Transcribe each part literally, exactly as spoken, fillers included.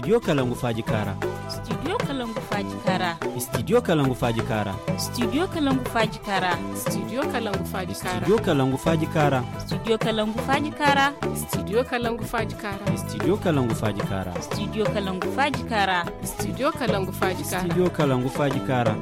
Studio Kalangu Faaji Kaara. Studio Kalangu Faaji Kaara. Studio Kalangu Faaji Kaara. Studio Kalangu Faaji Kaara. Studio Kalangu Faaji Kaara. Studio Kalangu Faaji Kaara. Studio Kalangu Faaji Kaara. Studio Kalangu Faaji Kaara. Studio Kalangu Faaji Kaara. Studio Kalangu Faaji Kaara. Studio Kalangu Faaji Kaara. Studio Kalangu Faaji Kaara.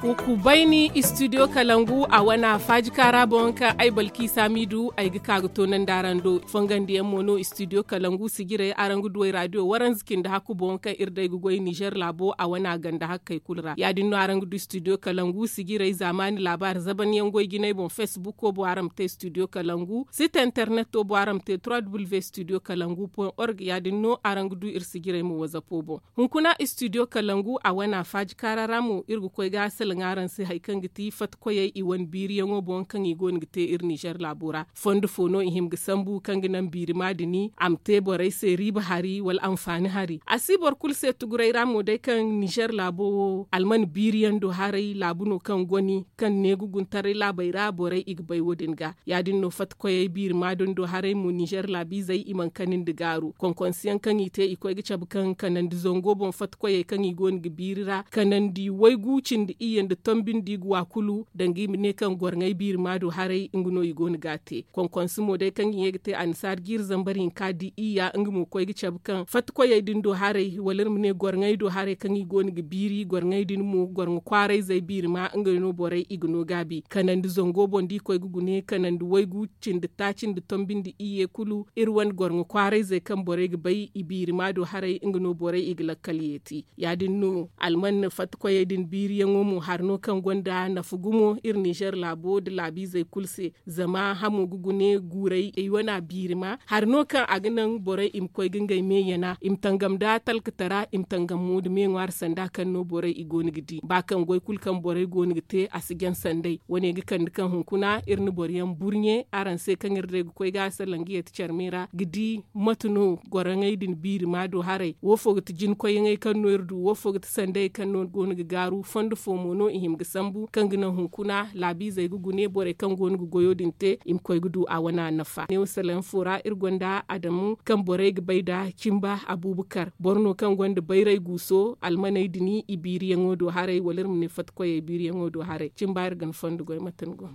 Wa ku bayni studio kalangu a wana faaji kaara boŋ kaŋ ay balki samidu ay ga ka ga toonandi araŋ do. Fongandiyaŋ mo no studio kalangu sijirey araŋ ga du ay radio waranza cindi hakku boŋ kaŋ iri day ga goy nizer laabo a wana ganda hakkey kulu ra. Ya- din no araŋ ga du studio kalangu sijirey zaamaani laabaari zabanyaŋ goy jinay boŋ facebook wo boŋ araŋ ma te studio kalangu site internet wo boŋ araŋ ma te trois w studio kalangu point org ya- din no araŋ ga du iri sijirey mo wazapo boŋ. Hunkuna studio kalangu a wana faaji kaara ra mo iri ga koy ga salaŋ araŋ se hari kaŋ ga ti fatta koyey i wane biiriyaŋo boŋ kaŋ i go no ga te iri nizer laabo ra. Fondo fo no i hima ga sambu kaŋ ga naŋ biirima din a ma te borey se riiba hari wala anfaani hari a si boro kulu se tuguray ra mo day kaŋ nizer laabo wo alman biiriyaŋ do haray laabu no kaŋ goni kaŋ neeguguntaray laabey ra borey i ga bay wo- din ga. Ya- din no fatta koyey biirima din do haray mo nizer laabiizey i mana kanandi gaaru konkonsiyaŋ kaŋ i te i koy ga cabe kaŋ kanandi zango boŋ fatta koyey kaŋ i go no ga biiri ra kanandi waygu cindi iyye nda tombi nda i ga wa kulu danga i ma ne kaŋ gwarŋey biirima do haray nga no i go no ga a te. Konkonsi mo day kaŋ i ye ga te annasaara jiiri zambar hinka di iyya nga mo koy ga cabe kaŋ fatta koyey din do haray wala iri ma ne gwarŋey do haray kaŋ i go no ga biiri gwarŋey din mo gwarŋa kwaarayzey biirima nga no borey i ga no gaabi kanandi zango boŋ da i koy ga gune kanandi waygu cindi taaci nda tombi nda iyye kulu iri wane gwarŋa kwaarayzey kaŋ borey ga bay i biirima do haray nga no borey i ga lakkal yeeti. Ya- din no alman fatta koyey din biiriyaŋo mo hari no kaŋ gonda nafa gumo iri nizer laabo nda laabiizey kulu se. Zama hamo ga gune guuray i wana biirima hari no kaŋ a ga naŋ borey i ma koy ga ngey me yana i ma tangam nda talkatara i ma tangam mo nda me ŋwaari sanda kaŋ no borey i go no ga di ba kaŋ goy kulu kaŋ borey go no ga te a si jaŋ sanday wane ga kande kaŋ hunkuna iri na boro yaŋ burɲe araŋ se kaŋ iri day ga koy ga a salaŋ ga yeeti care me ra ga di mate no goroŋey din biirima do haray wo fo ga ti jinkoyyaŋey kaŋ no iri du wo fo ga ti sanday kaŋ no go no ga gaaru fondo fo mo no i hima ga sambu kaŋ ga naŋ hunkuna laabiizey ga gune borey kaŋ go no ga goyo din te i ma koy ga du a wana nafa neewo salaŋ fo ra iri gonda adamu kaŋ borey ga bay nda cimba abuubakar boro no kaŋ gonda bayray guuso almaney din i biiriyaŋo do haray wala iri ma ne fatta koyey biiriyaŋo do haray cimba iri ga ni fondo goy mate ni go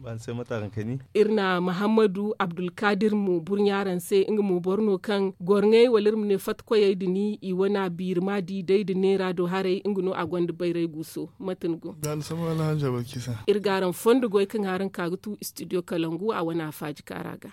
iri na mahammadu abdulkadir mo burɲa araŋ se nga mo boro no kaŋ gorŋey wala iri ma ne fatta koyey din i wana biirima di day nda neera do haray nga no a gonda bayray guuso mate ni go iri ga araŋ fondo goy kaŋ araŋ ka ga tu studio kalangu a wana faaji kaara ga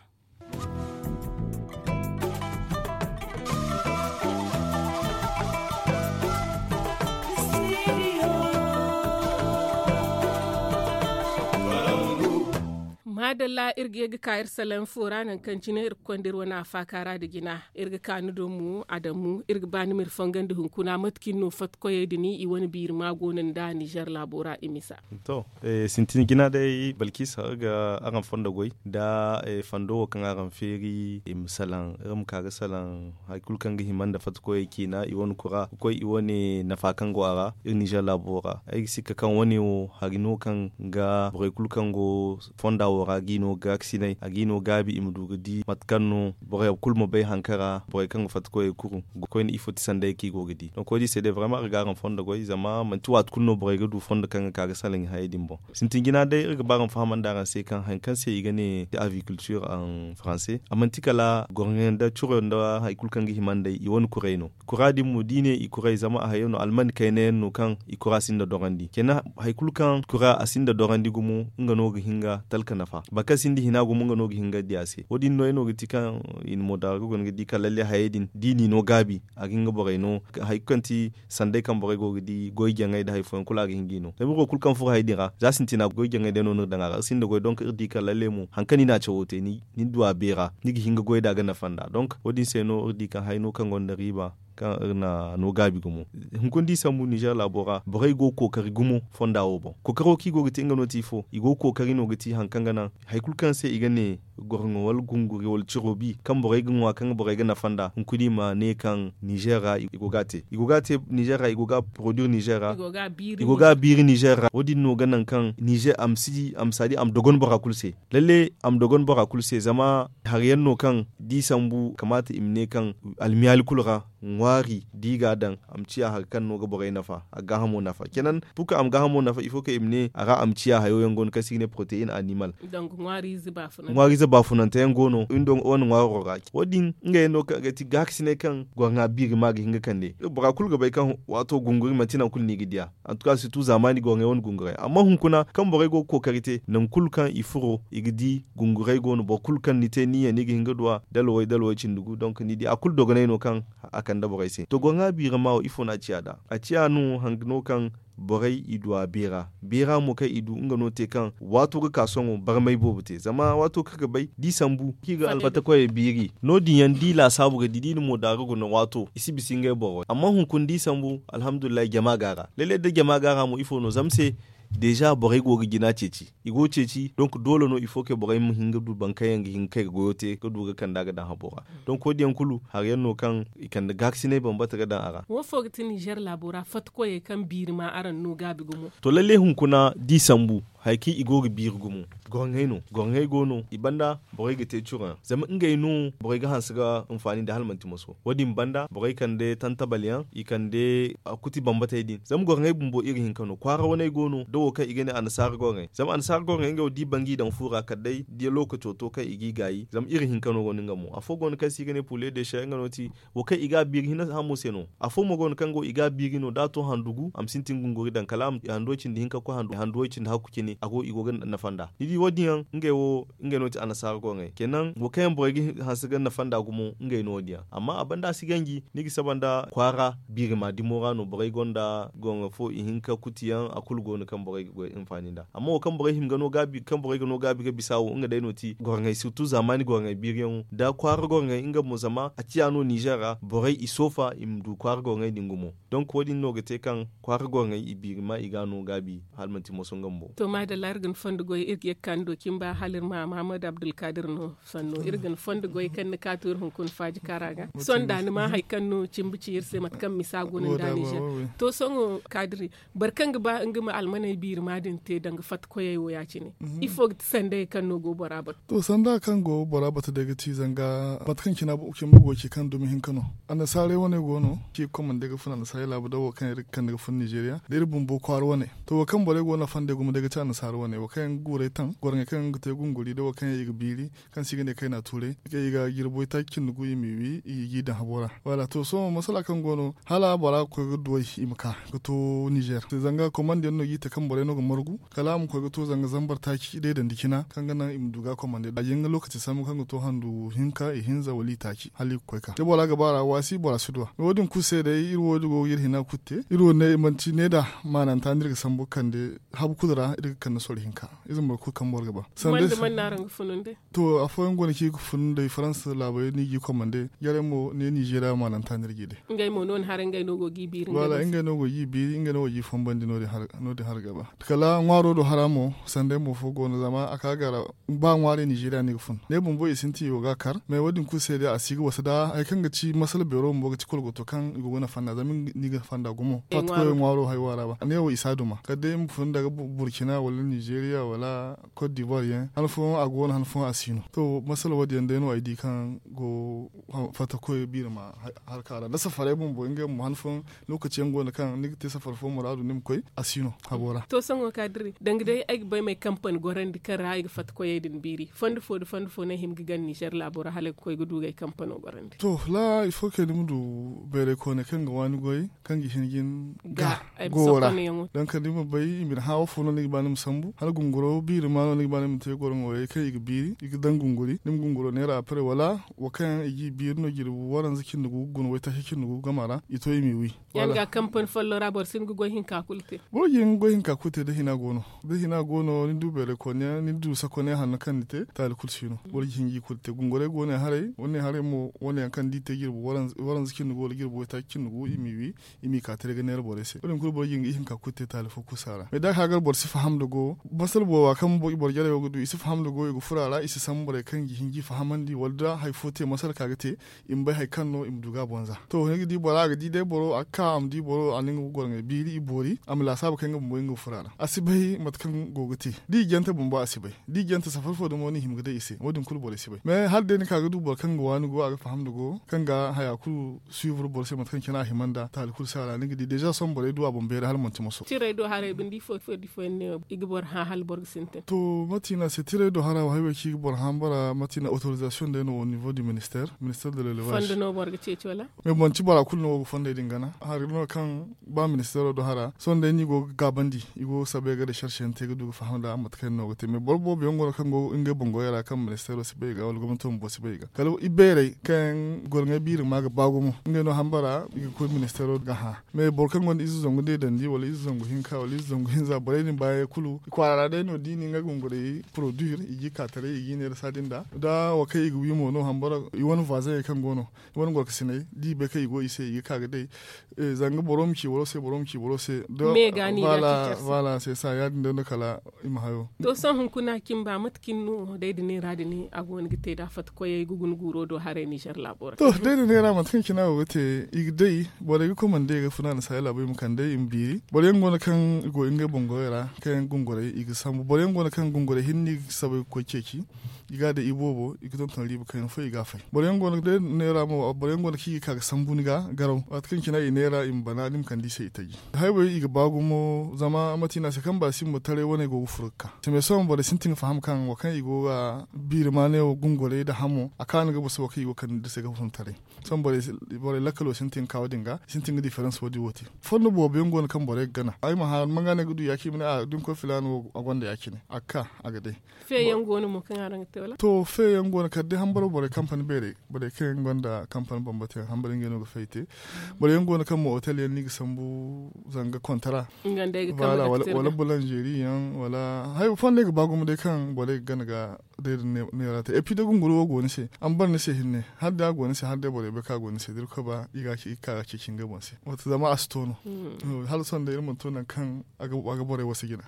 maadalla iri ga ye ga ka iri salaŋ fo ra nangu kaŋ cine iri ga konda iri wane afaaka ra nda jina iri ga ka ni do mo adamu iri ga ba ni ma iri fangandi hunkuna mate kaŋ iri no fatta koyey din i wane biirima go no nda nizer laabo ra i misa to sintin jina day balkisa iri ga araŋ fondo goy nda fondo wo kaŋ araŋ feeri i ma salaŋ iri ma ka ga salaŋ hari kulu kaŋ ga hima nda fatta koyey ciina i wane kura ga koy i wane nafa kaŋ go a ra iri nizer laabo ra ay ga sikka kaŋ wane wo hari no kaŋ ga borey kulu kaŋ go fonda wo ra ga i no gaakasinay a ga i no gaabi i ma du ga di mate kaŋ no borey kulu ma bay hankara borey kaŋ ga fatta koyey kuru ga koyne ifo ti sanday kaŋ i go ga di donk wo- din se day barama iri ga araŋ fondo goy zama manti waati kulu no borey ga du fondo kaŋ ga ka ga salaŋ i hayey din boŋ sintin jina day iri ga ba araŋ fahamandi araŋ se kaŋ hari kaŋ se i ga ne aviculture en français a manti kala gorŋo nda curo nda hari kulu kaŋ ga hima nd'ey i wane kuray no kura din mo da i ne i kuray zama a hayo no almani kayna yaŋ no kaŋ i kura sinda dorandi kenan hari kulu kaŋ kura a sinda dorandi gumo nga no ga hin ga talka nafa boro kaŋ sinda hina gumo nga no ga hin ga di a se wo- din no ay no ga ti kaŋ i na mo daara ga guna ga di ka lalle hayey din da i n'i no gaabi a ga hin ga borey no hari kulu kaŋ ti sanday kaŋ borey go ga di goy jaŋay nda hari fooyaŋ kulu a ga hin g'i no zama iri wo kulu kaŋ furo hari din ra za sintina goy jaŋay day no no iri daŋ a ra iri sinda goy donk iri di kaŋ lalle mo hari kaŋ ni na a cawo te ni du a beera ni ga hin ga goy nd'a ga nafa nd'a donk wo- din se no iri di kaŋ hari no kaŋ gonda riiba kaŋ iri na no gaabi gumo hunkuna da i sambu nizer laabo ra borey go ga kookari gumo fonda wo boŋ kookaro kaŋ i go ga te nga no ti ifo i go ga kookari no ga ti hari kaŋ ga naŋ hari kulu kaŋ se i ga ne gorŋo wala gunguri wala ciro bi kaŋ borey ga ŋwa kaŋ borey ga nafa nd'a hunkuna i ma ne kaŋ nizer ra i go ga a te i go ga a te nizer ra i go ga a poroduir nizer ra i go ga a biiri nizer ra wo- din no ga naŋ kaŋ nizer a ma si a ma si a di a ma dogon bora kulu se lalle a ma dogon bora kulu se zama hari yaŋ no kaŋ da i sambu kamaata i ma ne kaŋ almiyaali kulu ra ŋwaari da i ga a daŋ a ma ciya hari kaŋ no ga borey nafa a ga gaahamo nafa cenan purka a ma gaahamo nafa il faut que i ma ne a ra a ma ciya hayo yaŋ go no kaŋ se i ga ne proteine animal ŋwaariize baafunante yaŋ go no wane ŋwaaro ra wo- din ngey no kaŋ ga ti gaakasinay kaŋ gorŋa biiri ma ga hin ga kande bora kulu ga bay kaŋ waato gunguri manti nangu kulu no i ga diya antuka sirtu zaamaani gorŋey wane gunguray amma hunkuna kaŋ borey go ga kookari te nangu kulu kaŋ i furo i ga di gunguray go no boro kulu kaŋ ni te ni ye ni ga hin ga du a dalwey dalwey cindi gu donk ni di a kulu dogonay no kaŋ a kande borey se to gorŋa biiri ma wo ifo no a ciya nd'a a ciya no hanga no kaŋ borey i du a beera beera mo kaŋ i du nga no te kaŋ waato ga ka sohõ barmay boobo te zama waato kaŋ ga bay da i sambu kaŋ i ga alfata koyey biiri no- din yaŋ da i laasaabu ga di da i na moodaari guna waato i si bisa ngey boro amma hunkuna da i sambu alhamdulillahi jama go a ra lalle da jama go a ra mo ifo no zama se deeza borey go ga jina ceeci i go ga ceeci donk doole no il faut que borey ma hin ga du boro kaŋ yaŋ ga hin ga kay ga goyo te ga du ga kand'a ga daŋ habo ra donk wo- din yaŋ kulu hari yaŋ no kaŋ i kande gaakasinay bambata ga daŋ a ra wo fo ga ti nizer laabo ra fatta koyey kaŋ biiri ma araŋ no gaabi gumo to lalle hunkuna da i sambu hari kaŋ i go ga biiri gumo gorŋey no gorŋey go no i banda borey ga te curo yaŋ zama ngey no borey ga hanse ga hinfaani nda hala manti moso wo- din banda borey kande tantabal yaŋ i kande kuti bambatey din zama gorŋey bumbo iri hinka no kwaara waney go no da wo kaŋ i ga ne annasaara gorŋey zama annasaara gorŋey ngey wo da i banga i daŋ fu ra kala day da lookaco to kaŋ i g'i gaayi zama iri hinka no go no nga mo afo go no kaŋ se i ga ne pule de se nga no ti wo kaŋ i ga a biiri hina hamo se no afo mo go no kaŋ go i ga a biiri no da a to handu gu a ma sintin gunguri daŋ kala a ma handu way cindi hinka koy handu way cindi hakku cine a go i go ga nafa nd'a ni di wo- din yaŋ ngey wo ngey no ti annasaara gorŋey kenan wo kaŋ yaŋ borey ga hanse ga nafa nd'a gumo ngey no wo- din yaŋ amma a banda a si ganji ni ga saba nda kwaara biirima dimo ra no borey gonda gorŋo fo ihinka kuti yaŋ a kulu go no kaŋ borey ga goy hinfaani nd'a amma wo kaŋ borey hima ga no gaabi kaŋ borey ga no gaabi ga bisa wo nga day no ti gorŋey sirtu zaamaani gorŋey biiri yaŋo da kwaara gorŋey nga mo zama a ciya no nizer ra borey i soofa i ma du kwaara gorŋey din gumo donk wo- din no ga te kaŋ kwaara gorŋey i biiri ma i ga a no gaabi hala manti moso nga bumbo to maadalla iri ga ni fondo goy iri ga ye ga ka ni do cimba hala iri ma mahamadu abdulkadir no sanno iri ga ni fondo goy kaŋ ni ka to iri hunkuna faaji kaara ga sohõ da ni ma hari kaŋ no cimba ci iri se mate kaŋ misa go no nda nizer to sohõ kaadiri boro kaŋ ga ba nga ma almaney biiri ma din te danga fatta koyey wo ya- cine ifo ga ti sandayey kaŋ no go bora batu to sanda kaŋ go bora batu day ga ti zanga mate kaŋ cina cimba go ci kaŋ dumi hinka no annasaarey wane go no ci ga komande ga fun annasaarey laabu da wo kaŋ iri ga kande ga fun nizeriya da iri bumbo kwaara wane to wo kaŋ borey go no fande gumo day ga ti annasaara wane wo kaŋ yaŋ ga guurey taŋ gorŋey kaŋ yaŋ ga te gunguri da wo kaŋ yaŋ i ga biiri kaŋ se i ga ne kayna tuuray kaŋ i ga jirbo itaaci cindi gu i m'i wi i g'i daŋ habo ra wala to sohõ masala kaŋ go no hala bora ga koy ga duw'ey i ma ka ga to nizer zanga komande yaŋ no g'i te kaŋ borey no ga margu kala a ma koy ga to zanga zambar taaci day dandi cina kaŋ ga naŋ i ma du ga komande a jin ga lokaci sambu kaŋ ga to handu hinka ihinza wala itaaci hala i ga koy ka da bora ga ba ra waasi bora si duw'a wo- din kulu se day iri wo- din go ga iri hina kulu te iri wo ne manti ne da maananta no iri ga sambu ga kande habu kulu ra iri ga kande soro hinka ize boro kulu kaŋ boro ga ba sanda to afooyaŋ go no kaŋ i ga fun day faransa laabey no i g'i komande jarey mo ne nizeriya maananta no iri g'i day ngey mo no ni haray ngey no go g'i biiri wala ngey no go g'i biiri ngey no go g'i fambandi no- din har ga ba kala ŋwaaro do hara mo sanday mo fo go no zama a ka ga ra ba ŋwaarey nizeriya no i ga fun ne bumbo i sintin i go ga a kar mais wo- din kulu se day a si ga wasa da hari kaŋ ga ci masala beero bumbo ga ci kolgoto kaŋ i go ga nafa nd'a zama ni ga nafa nd'a gumo fatta koy ŋwaaro haywa ra ba ne wo i si a duma kala day i ma fun daga burkina wala nizeriya wala cote d'ivoire yaŋ han fooyaŋ a go no han fooyaŋ a si no to masala wo- din yaŋ day no ay di kaŋ go fatta koy biiri ma harka ra da safaray bumbo ngey bumbo han fooyaŋ lokaci yaŋ go no kaŋ ni ga te safar fo muraadu ni ma koy a si no habo ra to sohõ kaadiri danga day ay ga bay ma ay kampani gorandi kaŋ ra ay ga fatta koyey din biiri fondo fo nda fondo fo no ay hima ga gana nizer laabo ra hala ay ga koy ga du ga ay kampano gorandi to la il faut que ni ma du bayray koone kaŋ ga waani goy kaŋ ga hin ga ni ga goyo ra donk ni ma bay i ma ni hã wo fo no ni ga ba ni ma sambu hala gunguro biiri ma no ni ga ba ni ma te goro ŋwaarey kaŋ i ga biiri i ga daŋ gunguri ni ma gunguro neera après wala wo kaŋ yaŋ i g'i biiri no jirbi waranza cindi gu guna waytaaci cindi gu game ra i to i m'i wi yaŋ ga kampani folloŋ ra boro si hin ga goy hinka kulu te boro ga hin ga goy hinka kulu te da hina go no da hina go no ni du bayray koone yaŋ ni du sakoone yaŋ hanno kaŋ ni te taali kulu si no boro ga hin ga i kulu te gunguray go ne haray wane haray mo wane yaŋ kaŋ da i te jirbi waranza cindi gu wala jirbi waytaaci cindi gu i m'i wi i m'i ka te day ga neera borey se wo- din kulu boro ga hin ga ihinka kulu te taali fo kulu si a ra mais da a ka gar boro si faham nda go masal booba kaŋ boro jarey wo ga du i si faham nda go i ga furo a ra i si sambu borey kaŋ ga hin ga i fahamandi wala da hari fo te masal ka ga te i ma bay hari kaŋ no i ma du ga a bonza. To ni ga di bora a ga di day boro a ga ka a ma di boro a na nga ga goro ŋey biiri i boori a ma laasaabu kaŋ nga bumbo nga ga furo a ra a si bay mate kaŋ go ga te da i jante bumbo a si bay da i jante safari fo dumo no i hima ga day i se wo- din kulu borey si bay mais hala day ni ka ga du boro kaŋ ga waani go a ga faham nda go kaŋ ga haya kulu suivre boro se mate kaŋ cine a hima nda taali kulu si a ra ni ga di deeza sohõ borey du a boŋ beeri hala manti moso. Tirey do haray binde ifo ifo da ifo yaŋ ne i ga boro hã hala boro ga sintin. To mate no a se tirey do hara wo hari wo kaŋ i ga boro hã bara mate no autorisation day no au niveau du ministère ministère de l'élevage fondo no boro ga ceeci wala? Mais manti bora kulu no go ga fondey din gana hari no kaŋ ba ministeero do hara sohõ day no i go ga gaabandi i go ga sabay ga recherche yaŋ te ga du ga faham nda mate kaŋ yaŋ no ga te mais boro boobo yaŋ go no kaŋ go ngey boŋ goyey ra kaŋ ministeero si bay i ga wala gomnato bumbo si bay i ga kala ibeerey kaŋ yaŋ goro ŋey biiri ma ga ba gumo ngey no hambara i ga koy ministeero ga hã. Mais boro kaŋ gonda ize zangu deedandi wala ize zangu hinka wala ize zangu hinza borey din baayey kulu kwaara ra day no da i na nga gungurey produire i ga i ka taray i ga i neera saadi nda da wo kaŋ i ga wi mo no hambara i wane voisin yaŋ kaŋ go no i wane gorkasiney da i bay kaŋ i go i se i ga ka ga day. Zanga boro ma ci boro se boro ma ci boro se. Voilà se sa ya- din day no kala i ma hayo. To sohõ hunkuna cimba mate kaŋ no day da neera din a go no ga te da fatta koyey ga guna guuro do haray nizer laabo ra? To day da neera mate kaŋ cine a go ga te i ga day borey ga komande ga funa nda saaya laabo i ma kande i ma biiri boro yaŋ go no kaŋ i go ngey boŋ goyey ra kaŋ yaŋ ga gungurey i ga sambu boro yaŋ go no kaŋ gungurey hinne i ga sabay ga koy ceeci. I ga a day i boobo i ga tonton riiba kaŋ yaŋ fo i ga a fay boro yaŋ go no day neera mo boro yaŋ go no kaŋ i ga ka ga sambu ni ga garaw waati kaŋ cine i neera i ma bana ni ma kande i se i taji. Haybey i ga ba gumo zama mate no a se kaŋ ba simba taray wane go ga furo ga ka sime sohõ borey sintin ga faham kaŋ wo kaŋ i go ga biiri maaney wo gungurey nda hamo a kaanu ga boso wo kaŋ i go ga kande nda se ga fun taray. Sohõ borey lakkalo sintin ga ka wo- din ga i sintin ga diferans wo- din wo te. Fondo boobo yaŋ go no kaŋ borey ga gana ay ma hã manga no ay ga du ya- cine ma ne a da ni koy filaana wo a gonda ya- cine a ga ka a ga day. Feeyaŋ go no mo kaŋ araŋ ga te wala? To feeyaŋ go no kala day hambaro borey kampani beerey borey kaŋ yaŋ gonda kampani bambata yaŋ hambaro ngey no ga fay te. Boro yaŋ go no kaŋ mo otel yaŋ no i ga sambu zanga kontara wala bulanzeri yaŋ wala hari fo day ga ba gumo day kaŋ borey ga gana ga day da neera te et puis da gunguri wo go ni se a ma bare ni se hinne hala day a go ni se hala day borey bay kaŋ a go ni se da irkoy ba i ga ka ga ceeci ngey boŋ se. Wato zama a si to no. Hala sohõ day iri mana to nangu kaŋ a ga borey wasa jina.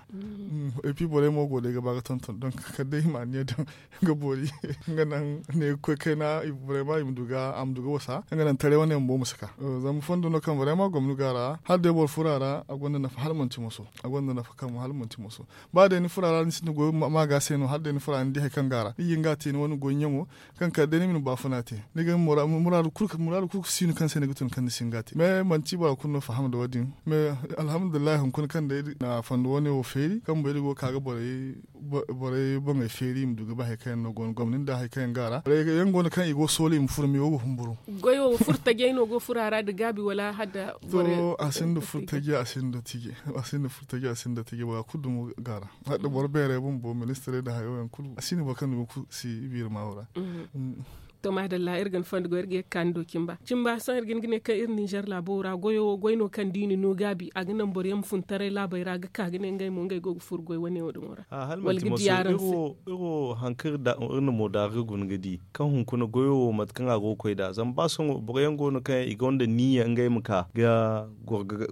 Et puis borey mo go day ga ba ga tonton donk kala day i ma anniya daŋ ga boori. Nga naŋ ne ga koy kayna borey ma i ma du ga a ma du ga wasa nga naŋ taray wane bumbo ma si ka. Zama fondo no kaŋ borey ma gomni ga a ra hala day boro furo a ra a gonda nafa hala manti moso a gonda nafa kaŋ hala manti moso. Ba day ni furo a ra ni sinda goyo ma ga se no hala day ni furo a ra ni di hari kaŋ ga a ra ni ga hin ga a te ni wane goy ɲaŋo kaŋ kala day ni ma ni baafuna te ni ga muraadu kulu ga si no kaŋ se ni ga tun kaŋ ni si hin ga a te mais manti bora kulu no faham nda wo- din. Mais alhamdulillahi hunkuna kaŋ day na fondo wane wo feeri kaŋ bumbo iri go ga ka ga borey boŋey feeri i ma du ga ba hari kaŋ yaŋ no go no gomni nda hari kaŋ yaŋ go a ra borey yaŋ go no kaŋ i go ga soolay i ma furo me wo ga humburu. Goyo wo furo tajey no go furo a ra nda gaabi wala hala da to a sinda furo taji a sinda tije a sinda furo taji a sinda tije bora kulu dumo ga a ra. Hala da boro beerey bumbo ministirey nda hayo yaŋ kulu a sinda boro kaŋ dumo kulu si biiri ma wo ra. To maadalla iri ga ni fondo goy iri ga ye ga ka ni do cimba cimba sohõ iri ga hin ga ne kaŋ iri ninzeer laabo ra goyo wo goy no kaŋ da i na no gaabi a ga naŋ boro yaŋ ma fun taray laabey ra ga ka ga ne ngey mo ngey go ga furo goy wane wo- din wo ra. Wala ga di araŋ se. Iri wo hari kaŋ iri na mo daari ga guna ga di kaŋ hunkuna goyo wo mate kaŋ a go ga koy nd'a zama ba sohõ boro yaŋ go no kaŋ yaŋ i gonda niiya ngey ma ka ga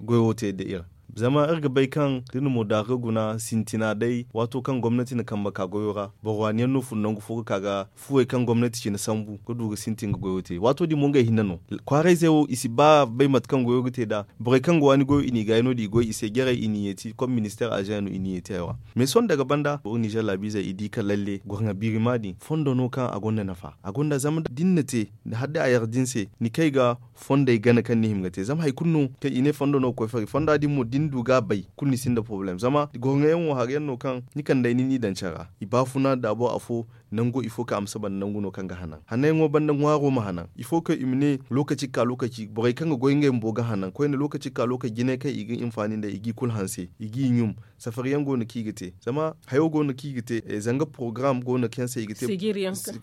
goyo wo te nda iri. Zama iri ga bay kaŋ da iri na mo daari ga guna sintina day waato kaŋ gomnati na kambe ka goyo ra boro waani yaŋ no fun nangu fo ga ka ga fuwey kaŋ gomnati cine sambu ga du ga sintin ga goyo te waato din mo ngey hinne no. Kwaarayzey wo i si ba bay mate kaŋ goyo ga te nd'a borey kaŋ ga waani goyo i n'i gaayi no- din i goy i se jarey i n'i yeeti kom ministeer azeŋ yaŋ no i n'i yeeti haywa. Mais sohõ daga banda boro ninzeer laabiizey i di ka lalle gorŋa biirima din fondo no kaŋ a gonda nafa a gonda zama da ni na te hala day a yar da ni se ni kay ga fondey gana kaŋ ni hima ga te zama hari kulu no kaŋ i ne fondo no ga koy fari fonda din mo da ni du ga a bay kulu ni sinda porobalem zama gorŋa yaŋ wo hari yaŋ no kaŋ ni kandey ni n'i daŋ care ra i baafuna daabo afo nangu ifo kaŋ a ma saba nda nangu no kaŋ ga hanan hananyaŋo banda ŋwaaro ma hanan ifo kaŋ i ma ne lookaci ga ka lookaci borey kaŋ ga goy ngey bumbo ga hanan koyne lookaci ga ka lookaci jinay kaŋ i ga hinfaani nd'ey i g'i kulu hanse i g'i ɲum. Safari yaŋ go no kaŋ i ga te zama hayo go no kaŋ i ga te zanga porogaram go no kaŋ se i ga te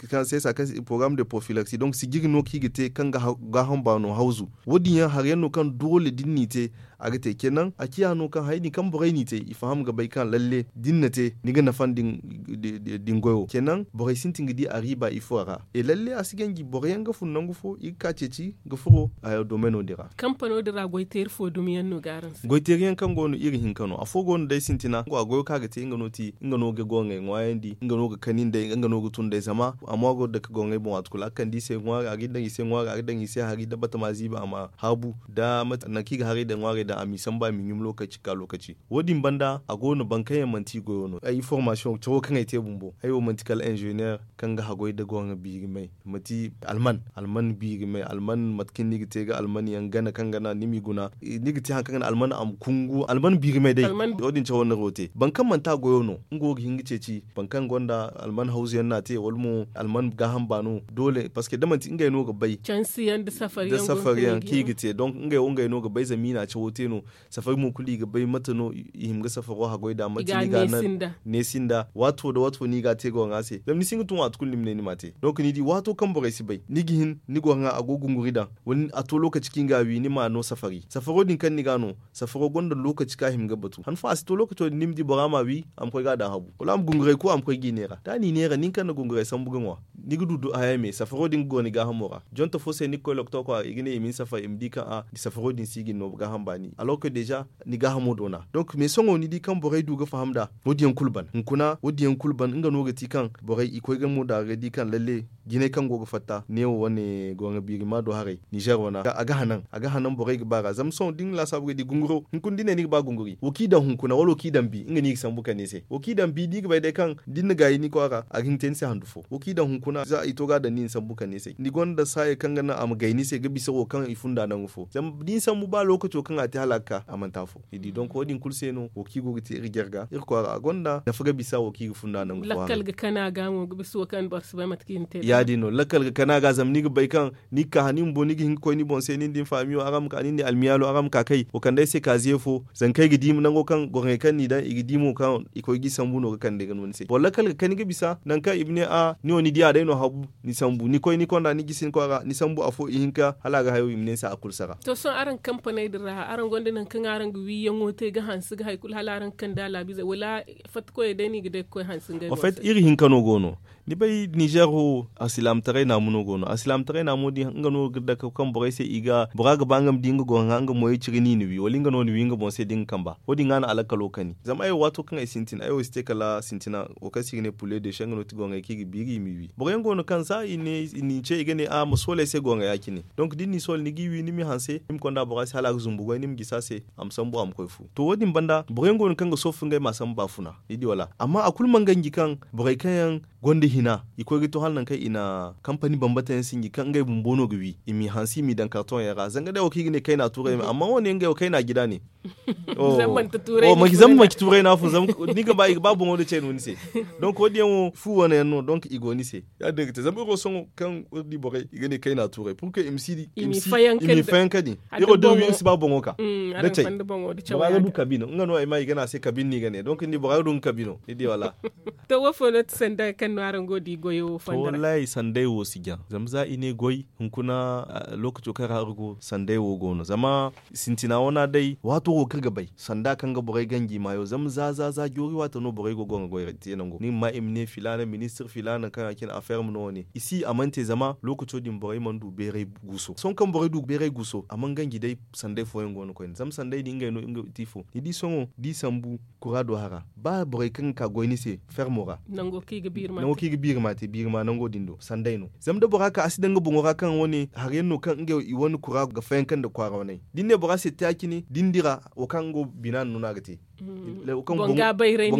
kaŋ se sa kaŋ porogaram de porofilaksi donk sijiri no kaŋ i ga te kaŋ ga gaaham baano hawzu wo- din yaŋ hari yaŋ no kaŋ doole da ni n'i te a ga te ceenaŋ a ciya no kaŋ hari din kaŋ borey n'i te i faham ga bay kaŋ lalle da ni na te ni ga nafa nda ni goyo ceenaŋ. borey sintin ga di a riiba ifo ra. E lalle a si ganji boro yaŋ ga fun nangu fo i ga ka ceeci ga furo domeno din ra. Kampano din ra goy teeri fo dumi yaŋ no ga araŋ se? Goy teeri yaŋ kaŋ go no iri hinka no afo go no day sintina a goyo kaŋ a ga te nga no ti nga no ga gorŋey ŋwaayandi nga no ga kani nd'ey nga no ga tun nd'ey zama a mo a go ga dake gorŋey boŋ waati kulu a ga kande i se ŋwaari a ga daŋ i se ŋwaari a ga daŋ i se hari nda batama ziibi a ma haabu nda nangu kaŋ i ga haray daŋ ŋwaarey daŋ a m'i sambu a m'i ɲum lookaci ga ka lookaci. Wo- din banda a go no boro kaŋ yaŋ manti i goyo no ay formasiyoŋ cawo kaŋ ay te bumbo ay wo manti kala inzeneer kaŋ ga haggoy nda gorŋa biiri may. Manti alman alman biiri may alman mate kaŋ ni ga te ga alman yaŋ gana kaŋ ga naŋ ni m'i guna ni ga te hari kaŋ ga naŋ alman a ma kungu alman biiri may day. Wo- din cawo no iri wo te boro kaŋ manti a goyo no nga wo ga hin ga ceeci boro kaŋ gonda alman hawzu yaŋ no a te wala mo alman gaaham baano doole parceque da manti ngey no ga bay cansi yaŋ nda safari yaŋ kaŋ i ga te donc ngey wo ngey no ga bay zama i na a cawo te no. Safari mo kulu i ga bay mate no i hima ga safaro haggoy nd'a mate no i ga a naŋ neesi nd'a waati fo nda waati fo no i ga a te gorŋa se zama ni si hin ga tun waati kulu ni ma ne ni m'a te donc ni di waato kaŋ borey si bay ni ga hin ni gorŋa a go ga gunguri daŋ wala a to lookaci kaŋ i ga a wi ni m'a no safari safaro din kaŋ ni ga a no safaro gonda lookaci kaŋ a hima ga batu han fo a si to lookaco din ni ma di bora m'a wi a ma koy ga a daŋ habu wala a ma gunguray ku a ma koy g'i neera da a n'i neera nin kaŋ na gunguray sambu ga ŋwa. Ni ga du haya me safaro din ga goro ni gaahamo ra jonte fo se ni ga koy lokto kwaara i ga ne i ma ni safar i ma di kaŋ a safaro din si ga ni no gaaham baani alors que deja ni gaahamo doona. Donc mais sohõ ni di kaŋ borey du ga faham nd'a wo- din yaŋ kulu ban hunkuna wo- din yaŋ kulu ban nga no ga ti kaŋ borey i koy ga mo daara ga di kaŋ lalle jinay kaŋ go ga fatta neewo wane gorŋa biirima do haray nizer wane a ga hanan a ga hanan borey ga ba ra zama sohõ da ni laasaabu ga di gunguro hunkuna da ni ne ni ga ba gunguri wo kaŋ i daŋ hunkuna wala wo kaŋ i daŋ bi nga no i ga sambu kande ni se wo kaŋ i daŋ bi da i ga bay day kaŋ da ni na gaayi ni kwaara a ga hin ga te ni se handu fo wo kaŋ i daŋ hunkuna za i to ga a daŋ ni ni sambu kande ni se ni gonda saaya kaŋ ga naŋ a ma gay ni se ga bisa wo kaŋ i funda nangu fo zama da ni sambu ba lookaco kaŋ a te hala a ga ka a manti afo ni di donk wo- din kulu se no wo kaŋ i go ga te iri jarga iri kwaara a gonda nafa ga bisa wo kaŋ i ga funda nangu fo lakkal ga kana ga mo ga bisa wo kaŋ boro si bay mate kaŋ i na te ya- din no lakkal ga kana ga zama ni ga bay kaŋ ni ga ka hala ni bumbo ni ga hin ga koy ni boŋ se nin da ni faamiyo araŋ ma ka nin da ni almiyaalo araŋ ma ka kay wo kande ay se kaaziye fo zanka ay ga di nango kaŋ gorŋey kaŋ n'i daŋ i ga di mo kaŋ i koy ga i sambu no ga kande ga no ni se boro lakkal ga kani ga bisa nangu kaŋ i ma ne a ni wo ni di a day no habu ni sambu ni koy ni konda ni gisi ni kwaara ni sambu afo ihinka hala a ga hayo i ma ne ni se a kulu sara. To sohõ araŋ kampaney din ra araŋ gonda nangu kaŋ araŋ ga wiiyaŋo te ga hanse ga hari kulu hala araŋ ga kande a laabiizey wala fatta koyey day no i ga day ga koy hanse ngey boŋ se. Iri hinka no go no. Ni bay nizer wo alsilaamataray naamu no go no alsilaamataray naamo din nga no ga dake kaŋ borey se i ga bora ga ba nga ma di nga gorŋa nga moyey ciri no i na wi wala nga no na wi nga boŋ se da nga kamba wo- din ga no a lakkalo kani zama ay wo waato kaŋ ay sintin ay wo si te kala sintina wo kaŋ se i ga ne pulle de se nga no ti gorŋey kaŋ i ga biiri i m'i wi boro yaŋ go no kaŋ za i n'i ce i ga ne a ma sooley se gorŋa ya- cine. Donk da ni n'i soole ni g'i wi ni m'i hanse ni ma konda bora se hala a ga zumbu goy ni ma gisi a se a ma sambu a ma koy fu to wo- din banda boro yaŋ go no kaŋ ga soofu ngey m'a sambu baafuna ni di wala amma a kulu mana ganji kaŋ borey kaŋ yaŋ gonda hina i koy ga to hala nangu kaŋ i na kampani bambata yaŋ sinji kaŋ ngey bumbo no ga wi i m'i hanse i m'i daŋ kartoŋ yaŋ ra zanga day wo kaŋ i ga ne kayna tuuray me amma wo- ne ngey wo kayna jida ne. Zama manci tuuray no a fun zama ni ga ba i ga ba boŋo nda cay no ni se. Donk wo- din yaŋ wo fu wane yaŋ no donk i go ni se ya- din ga te zama iri wo sohõ kaŋ iri di borey i ga ne kayna tuuray pour que i ma si di i ma fayanka din iri wo da iri si ba boŋo ka da cay. Bora ga du kabi no nga no ay ma i ga ne a se kabi no i ga ne donk ni di bora ga du nga kabi no ni di wala. To wo fo no ti sanda kaŋ no araŋ go di goyo wo fanda ra? Wallahi sanday wo si jaŋ zama za i ne goy hunkuna lookaco kaŋ ra iri go sanday wo go no zama sintina wana day waato wo kaŋ iri ga bay sanda kaŋ ga borey ganji maayo zama za za za joori waato no borey go go nga goy te nango ni ga ma i ma ne filaana ministir filaana kaŋ a cine a ferme no wane i si a mana te zama lookaco din borey mana du beeray guuso sohõ kaŋ borey du beeray guuso a mana ganji day sanday fooyaŋ go no koyne zama sanday din ngey no nga ti fo ni di sohõ da i sambu kura do hara ba borey kaŋ ga ka goy ni se fermo ra nango kaŋ i ga biiri ma te biiri ma nango din do sanday no zama da bora ka a si daŋ nga boŋo ra kaŋ wane hari yaŋ no kaŋ ngey i wane kura ga fayanka nda kwaara waney da ni ne bora se te a cine da ni dira wo kaŋ nga wo bina no no a ga te. Boŋ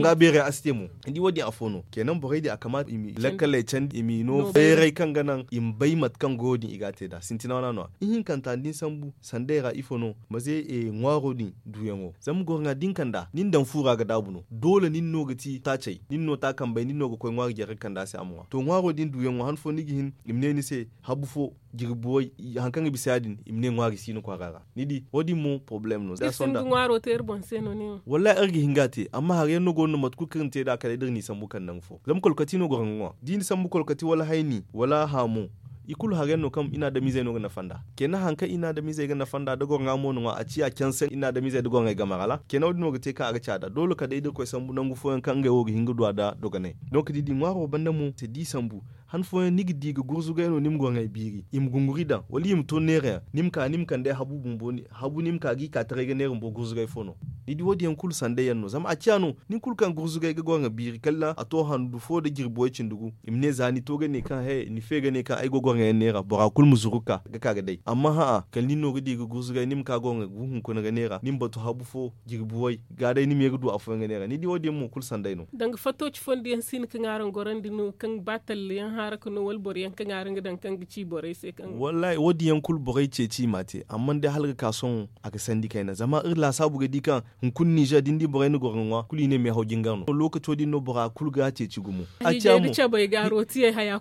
ga bayray a si te mo ni di wo- din afo no kenan borey din a kamaata i ma lakkaley candi i m'i no bayray kaŋ ga naŋ i ma bay mate kaŋ goyo din i ga a te nd'a sintina wana no- ya ihinkanta da ni sambu sanday ra ifo no maze ŋwaaro din duuyaŋo zama goro ŋwa da ni kand'a ni na daŋ fu ra ga daabu no doole nin no ga ti taacey nin no taakambey nin no ga koy ŋwaari jare ga kand'a se a ma ŋwa to ŋwaaro din duuyaŋo han fo ni ga hin i ma ne ni se habu fo jirbi way hari kaŋ ga bisa ya- din i ma ne ŋwaari si ni kwaara ra ni di wo- din mo porobalem no za sonda ŋwaaro te iri boŋ se no ne wo wallahi iri ga hin ga a te amma hari yaŋ no go no mate kulu kaŋ iri na te nd'a kala day da iri n'i sambu kala nangu fo zama kolkati no goro ga ŋwa da i na sambu kolkati wala hayni wala haamu i kulu harayaŋ no kaŋ i na adamizey no ga nafa nd'a. Kenan hari kaŋ i na adamizey ga nafa nd'a da gorŋa mo no ŋwa a ciya canse i na adamizey da gorŋey game ra la kenan wo- din no ga te kaŋ a ga caada doole kala day da irkoy sambu nangu fooyaŋ kaŋ ngey wo ga hin ga du a nda dogonay. Donk da i di ŋwaaro banda mo se da i sambu han fooyaŋ ni ga di ga gurzugay no ni ma gorŋey biiri i ma gunguri daŋ wala i ma to neerayaŋ ni ma ka ni ma kand'ey habu bumbo habu ni ma ka ga i ka taray ga neera bumbo gurzugay fo no. Ni di wo- din yaŋ kulu sanday yaŋ no zama a ciya no nin kulu kaŋ gurzugay ga gorŋa biiri kala a to handu fo nda jirbi way cindi gu i ma ne za ni to ga ne kaŋ he ni fe ga ne kaŋ ay go gorŋa yaŋ neera bora kulu ma zuru ga ka ga day amma hã'a kala nin no ga di ga gurzugay ni ma ka gorŋa gu hunkuna ga neera ni ma batu habu fo jirbi way ga day ni ma ye ga du afooyaŋ ga neera ni di wo- din yaŋ mo kulu sanday no. Danga fatto ci fondo yaŋ si hin kaŋ araŋ gorandi no kaŋ ba talla yaŋ haara ka no wala boro yaŋ kaŋ araŋ ga daŋ kaŋ ga ci borey se kaŋ wallaahi wo- din yaŋ kulu borey ceeci i m'a te amma day hala ga ka sohõ a ga sandi kayna zama iri laasaabu ga di kaŋ hunkuna nizer da ni di borey na gorŋa ŋwa kulu i ne meehaw jingar no lokaco din no bora kulu ga a ceeci gumo. A ciya mo.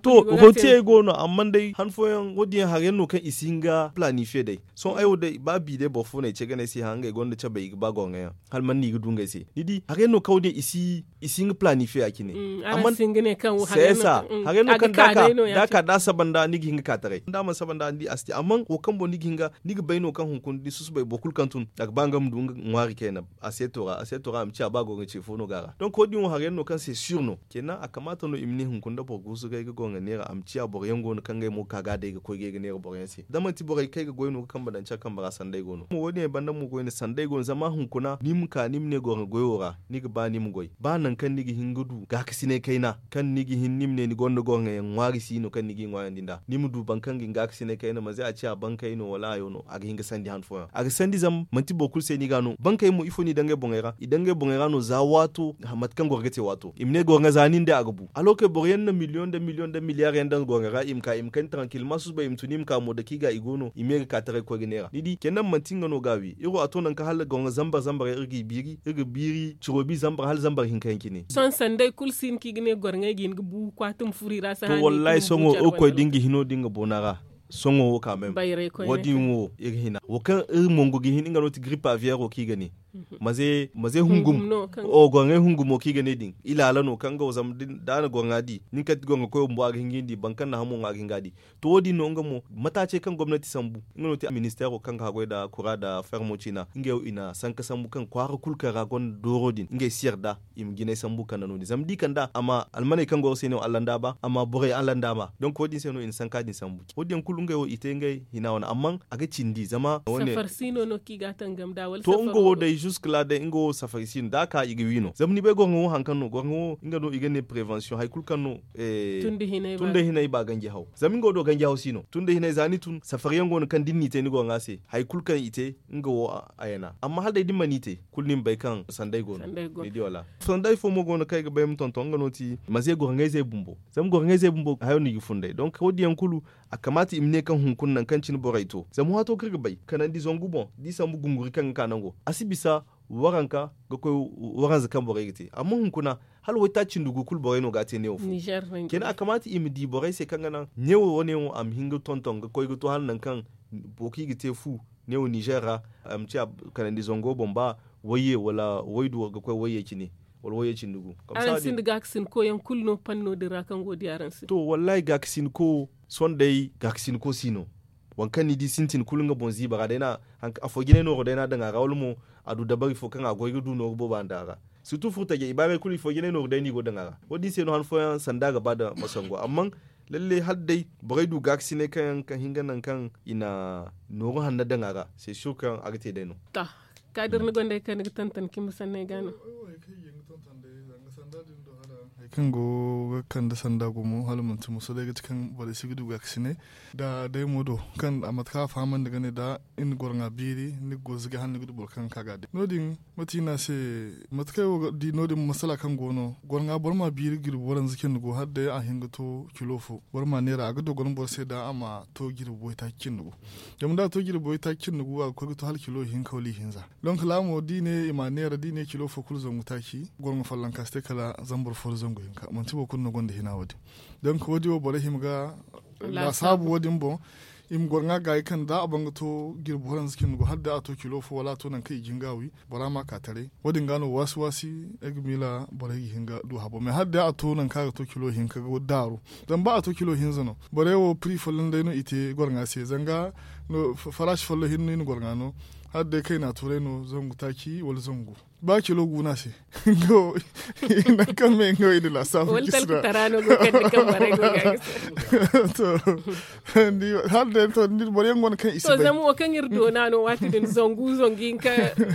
To, rotiyey go no amma day han fooyaŋ wo- din yaŋ hari yaŋ no kaŋ i si hin ga planifiye day sohõ ay wo day ba bi day boro fo no ay ce ga ne ay se hã ngey gonda cabey i ga ba gorŋa yaŋ hala man no i ga du ngey se ni di hari yaŋ no kaŋ wo- din i si i si hin ga planifiye ya cine. Amma se sa hari yaŋ no kaŋ da a ka da a saba nda ni ga hin ga ka taray da a mana saba nda ni di a si te amma wo kaŋ boŋ ni ga hin ga ni ga bay no kaŋ hunkuna da ni susubay boro kulu kaŋ tun a ga ba nga ma du nga ŋwaari kayna aseeto ra aseeto ra a ma ciya ba gorŋa ce fo no ga a ra donk wo- din wo hari yaŋ no kaŋ se sir no. Kenan a kamaata no i ma ne hunkuna nda boro guusu ga ay ga gorŋa neera a ma ciya boro yaŋ go no kaŋ ngey mo ga ka ga a day ga koy ga ay ga neera boro yaŋ se da manti borey kaŋ ay ga goy no ga kambe daŋ care kambe ra sanday go no wo- din yaŋ banda mo goy no sanday go no zama hunkuna ni ma ka ni ma ne gorŋa goyo ra ni ga ba ni ma goy ba nangu kaŋ ni ga hin ga du gaakasinay kayna kaŋ ni ga hin ni ma ne ni gonda gorŋa yaŋ ŋwaari si no kaŋ ni ga i ŋwaayandi nd'a ni ma du boro kaŋ ga hin gaakasinay kayna manze a ciya bankey no wala hayo no a ga hin ga sandi han fooyaŋ a ga sandi zama manti boro kulu se no i ga a no bankey mo ifo no i daŋ ngey boŋey ra i daŋ ngey boŋey ra no za waato mate kaŋ goro ga te waato i ma ne goro ga za nin day a ga bu alorke boro yaŋ na miliyoŋ nda miliyoŋ nda miliyar yaŋ daŋ goro ga ra i ma ka i ma kani tarankil ma susubay i ma tun i ma ka mo dake i ga i go no i ma ye ga ka taray ga koy ga neera ni di kena manti nga no ga a wi iri wo a to nangu kaŋ hala goro ga zambar zambar yaŋ iri g'i biiri iri ga biiri ciro bi zambar hala zambar hinka yaŋ cine. Sohõ sanday kulu si hin kaŋ i ga ne goro ga hin ga bu kwaati ma furo i ra si haani i ga hin ga bu care banda no. Sohõ wo- koy da nga hino da nga boona ra sohõ wo ka meme wo- din wo iri hina wo kaŋ iri mongo ga hin nga no ti giripa viyero kaŋ i ga ne maze maze hungum. Gorŋay hungumo kaŋ i ga ne din ilaala no kaŋ ga wo zama da a na gorŋa di nin kati gorŋa koyo bumbo a ga hin ga hin di boro kaŋ na hamo ŋwa a ga hin ga a di. To wo- din no nga mo mataacey kaŋ gomnati sambu nga no ti ministeero kaŋ ga haggoy nda kura nda fermo ciina ngey wo i na sanka sambu kaŋ kwaara kulu kaŋ ra gonda dooro din ngey si yarda i ma jinay sambu kande no- din zama da i kand'a a ma almaney kaŋ go se no allanda ba a ma borey allanda ba donk wo- din se no i na sanka din sambu wo- din yaŋ kulu ngey wo i te ngey hina wane amma a ga cindi zama wane safari siino no kaŋ i ga a tangam nd'a wala to nga wo day juska la day nga wo safari siino da a ka i ga wi no zama ni bay gorŋo wo hari kaŋ no gorŋo wo nga no i ga ne prevensiyoŋ hari kulu kaŋ no tun da hinay ba ganji haw zama nga wo do ganji haw siino tun da hinay za ni tun safari yaŋ go no kaŋ da ni n'i te ni gorŋa se hari kulu kaŋ i te nga wo a yana amma hala day da ni mana i te kulu ni ma bay kaŋ sanday go no ni di wala sanday fo mo go no kaŋ ay ga bay ma tonton nga no ti maze gorŋayzey bumbo zama gorŋayzey bumbo hayo no i ga funday donk wo- din yaŋ kulu a kamaata i ma ne kaŋ hunkuna nangu kaŋ cine borey to zama waato kaŋ iri ga bay kanandi zangu boŋ da i sambu gunguri kaŋ ga ka nango a si bisa waranka ga koy waranza kaŋ borey ga te amma hunkuna hala waytaaci nda gu kulu borey no ga a te neewo fo kena a kamaata i ma di borey se kaŋ ga naŋ neewo wane yaŋ wo a ma hin ga tonton ga koy ga to hala nangu kaŋ boro kaŋ i ga te fu neewo nizer ra a ma ciya kanandi zango boŋ ba wayye wala waydu ga koy wayye cine wala wayye cindi gu. Araŋ sinda gaakasinko yaŋ kulu no panno din ra kaŋ go di araŋ se to wallahi gaakasinko sohõ day gaakasinko si no waŋ kaŋ ni di sintin kulu nga boŋ ziiba ra day na afo jinay nooro day no a daŋ a ra wala mo a du dabari fo kaŋ a goy ga du nooru boobo a daŋ a ra sirtu furtajey ibaarey kulu ifo jinay nooru day no i go daŋ a ra wo- din se no han fooyaŋ sanda ga ba nda masango amma lalle hala day borey du gaakasinay kaŋ yaŋ ka hin ga naŋ kaŋ i na nooru hanno daŋ a ra se sur kaŋ a ga te day no. Kaadir ni gonda hari kaŋ ni ga tonton cimbi sanney ga no hari kaŋ go ga kande sanda gumo hala manti muso day ga ti kaŋ borey si ga du gaakasinay da day mo do kaŋ a mate kaŋ a fahamandi ga ne da i na gorŋa biiri ni ga gorzuge hala ni ga du boro kaŋ ga ka ga a day no- din mate i ne a se mate kaŋ ay wo ga di no- din masala kaŋ go no gorŋa boro ma biiri jirbi waranza cindi gu hala day a hin ga to kilo fo boro ma neera a ga dogon boro se da a ma to jirbi waytaaci cindi gu zama da a to jirbi waytaaci cindi gu a ga koy ga to hala kilo ihinka wala ihinza donk laamo da i ne i ma a neera da i ne kilo fo kulu zangu taaci gorŋa follonka si te kala zambar fo nda zangu hinka manti boro kulu no gonda hina wo- din donk wo- din wo borey hima ga laasaabu wo- din boŋ I ma goro ŋwa gaayi kaŋ da a ban ga to jirbi waranza cindi go hala day a to kilo fo wala a to nangu kaŋ i ga hin ga a wi, bora ma a ka taray. Wo- din ga no waasi waasi ay ga miila borey ga hin ga du habo mais hala day a to nangu kaŋ a ga to kilo hinka ga daaru. Zama ba a to kilo hinza no, borey wo piri folloŋ day no i te goro ŋwa se zanga. Faraasi folloŋ hinne no i na goro ŋwa no. Hala day kayna tuuray no zangu taaci wala zangu ba kilo gu no a se. Nangu kaŋ me nga wo i na laasaabu. Wala talka tara no go kaŋ ni kaŋ borey go ga a ga se. To, hala day to ni boro yaŋ go no kaŋ i si bay. Zama wo kaŋ iri doona no waati din zangu zangu hinka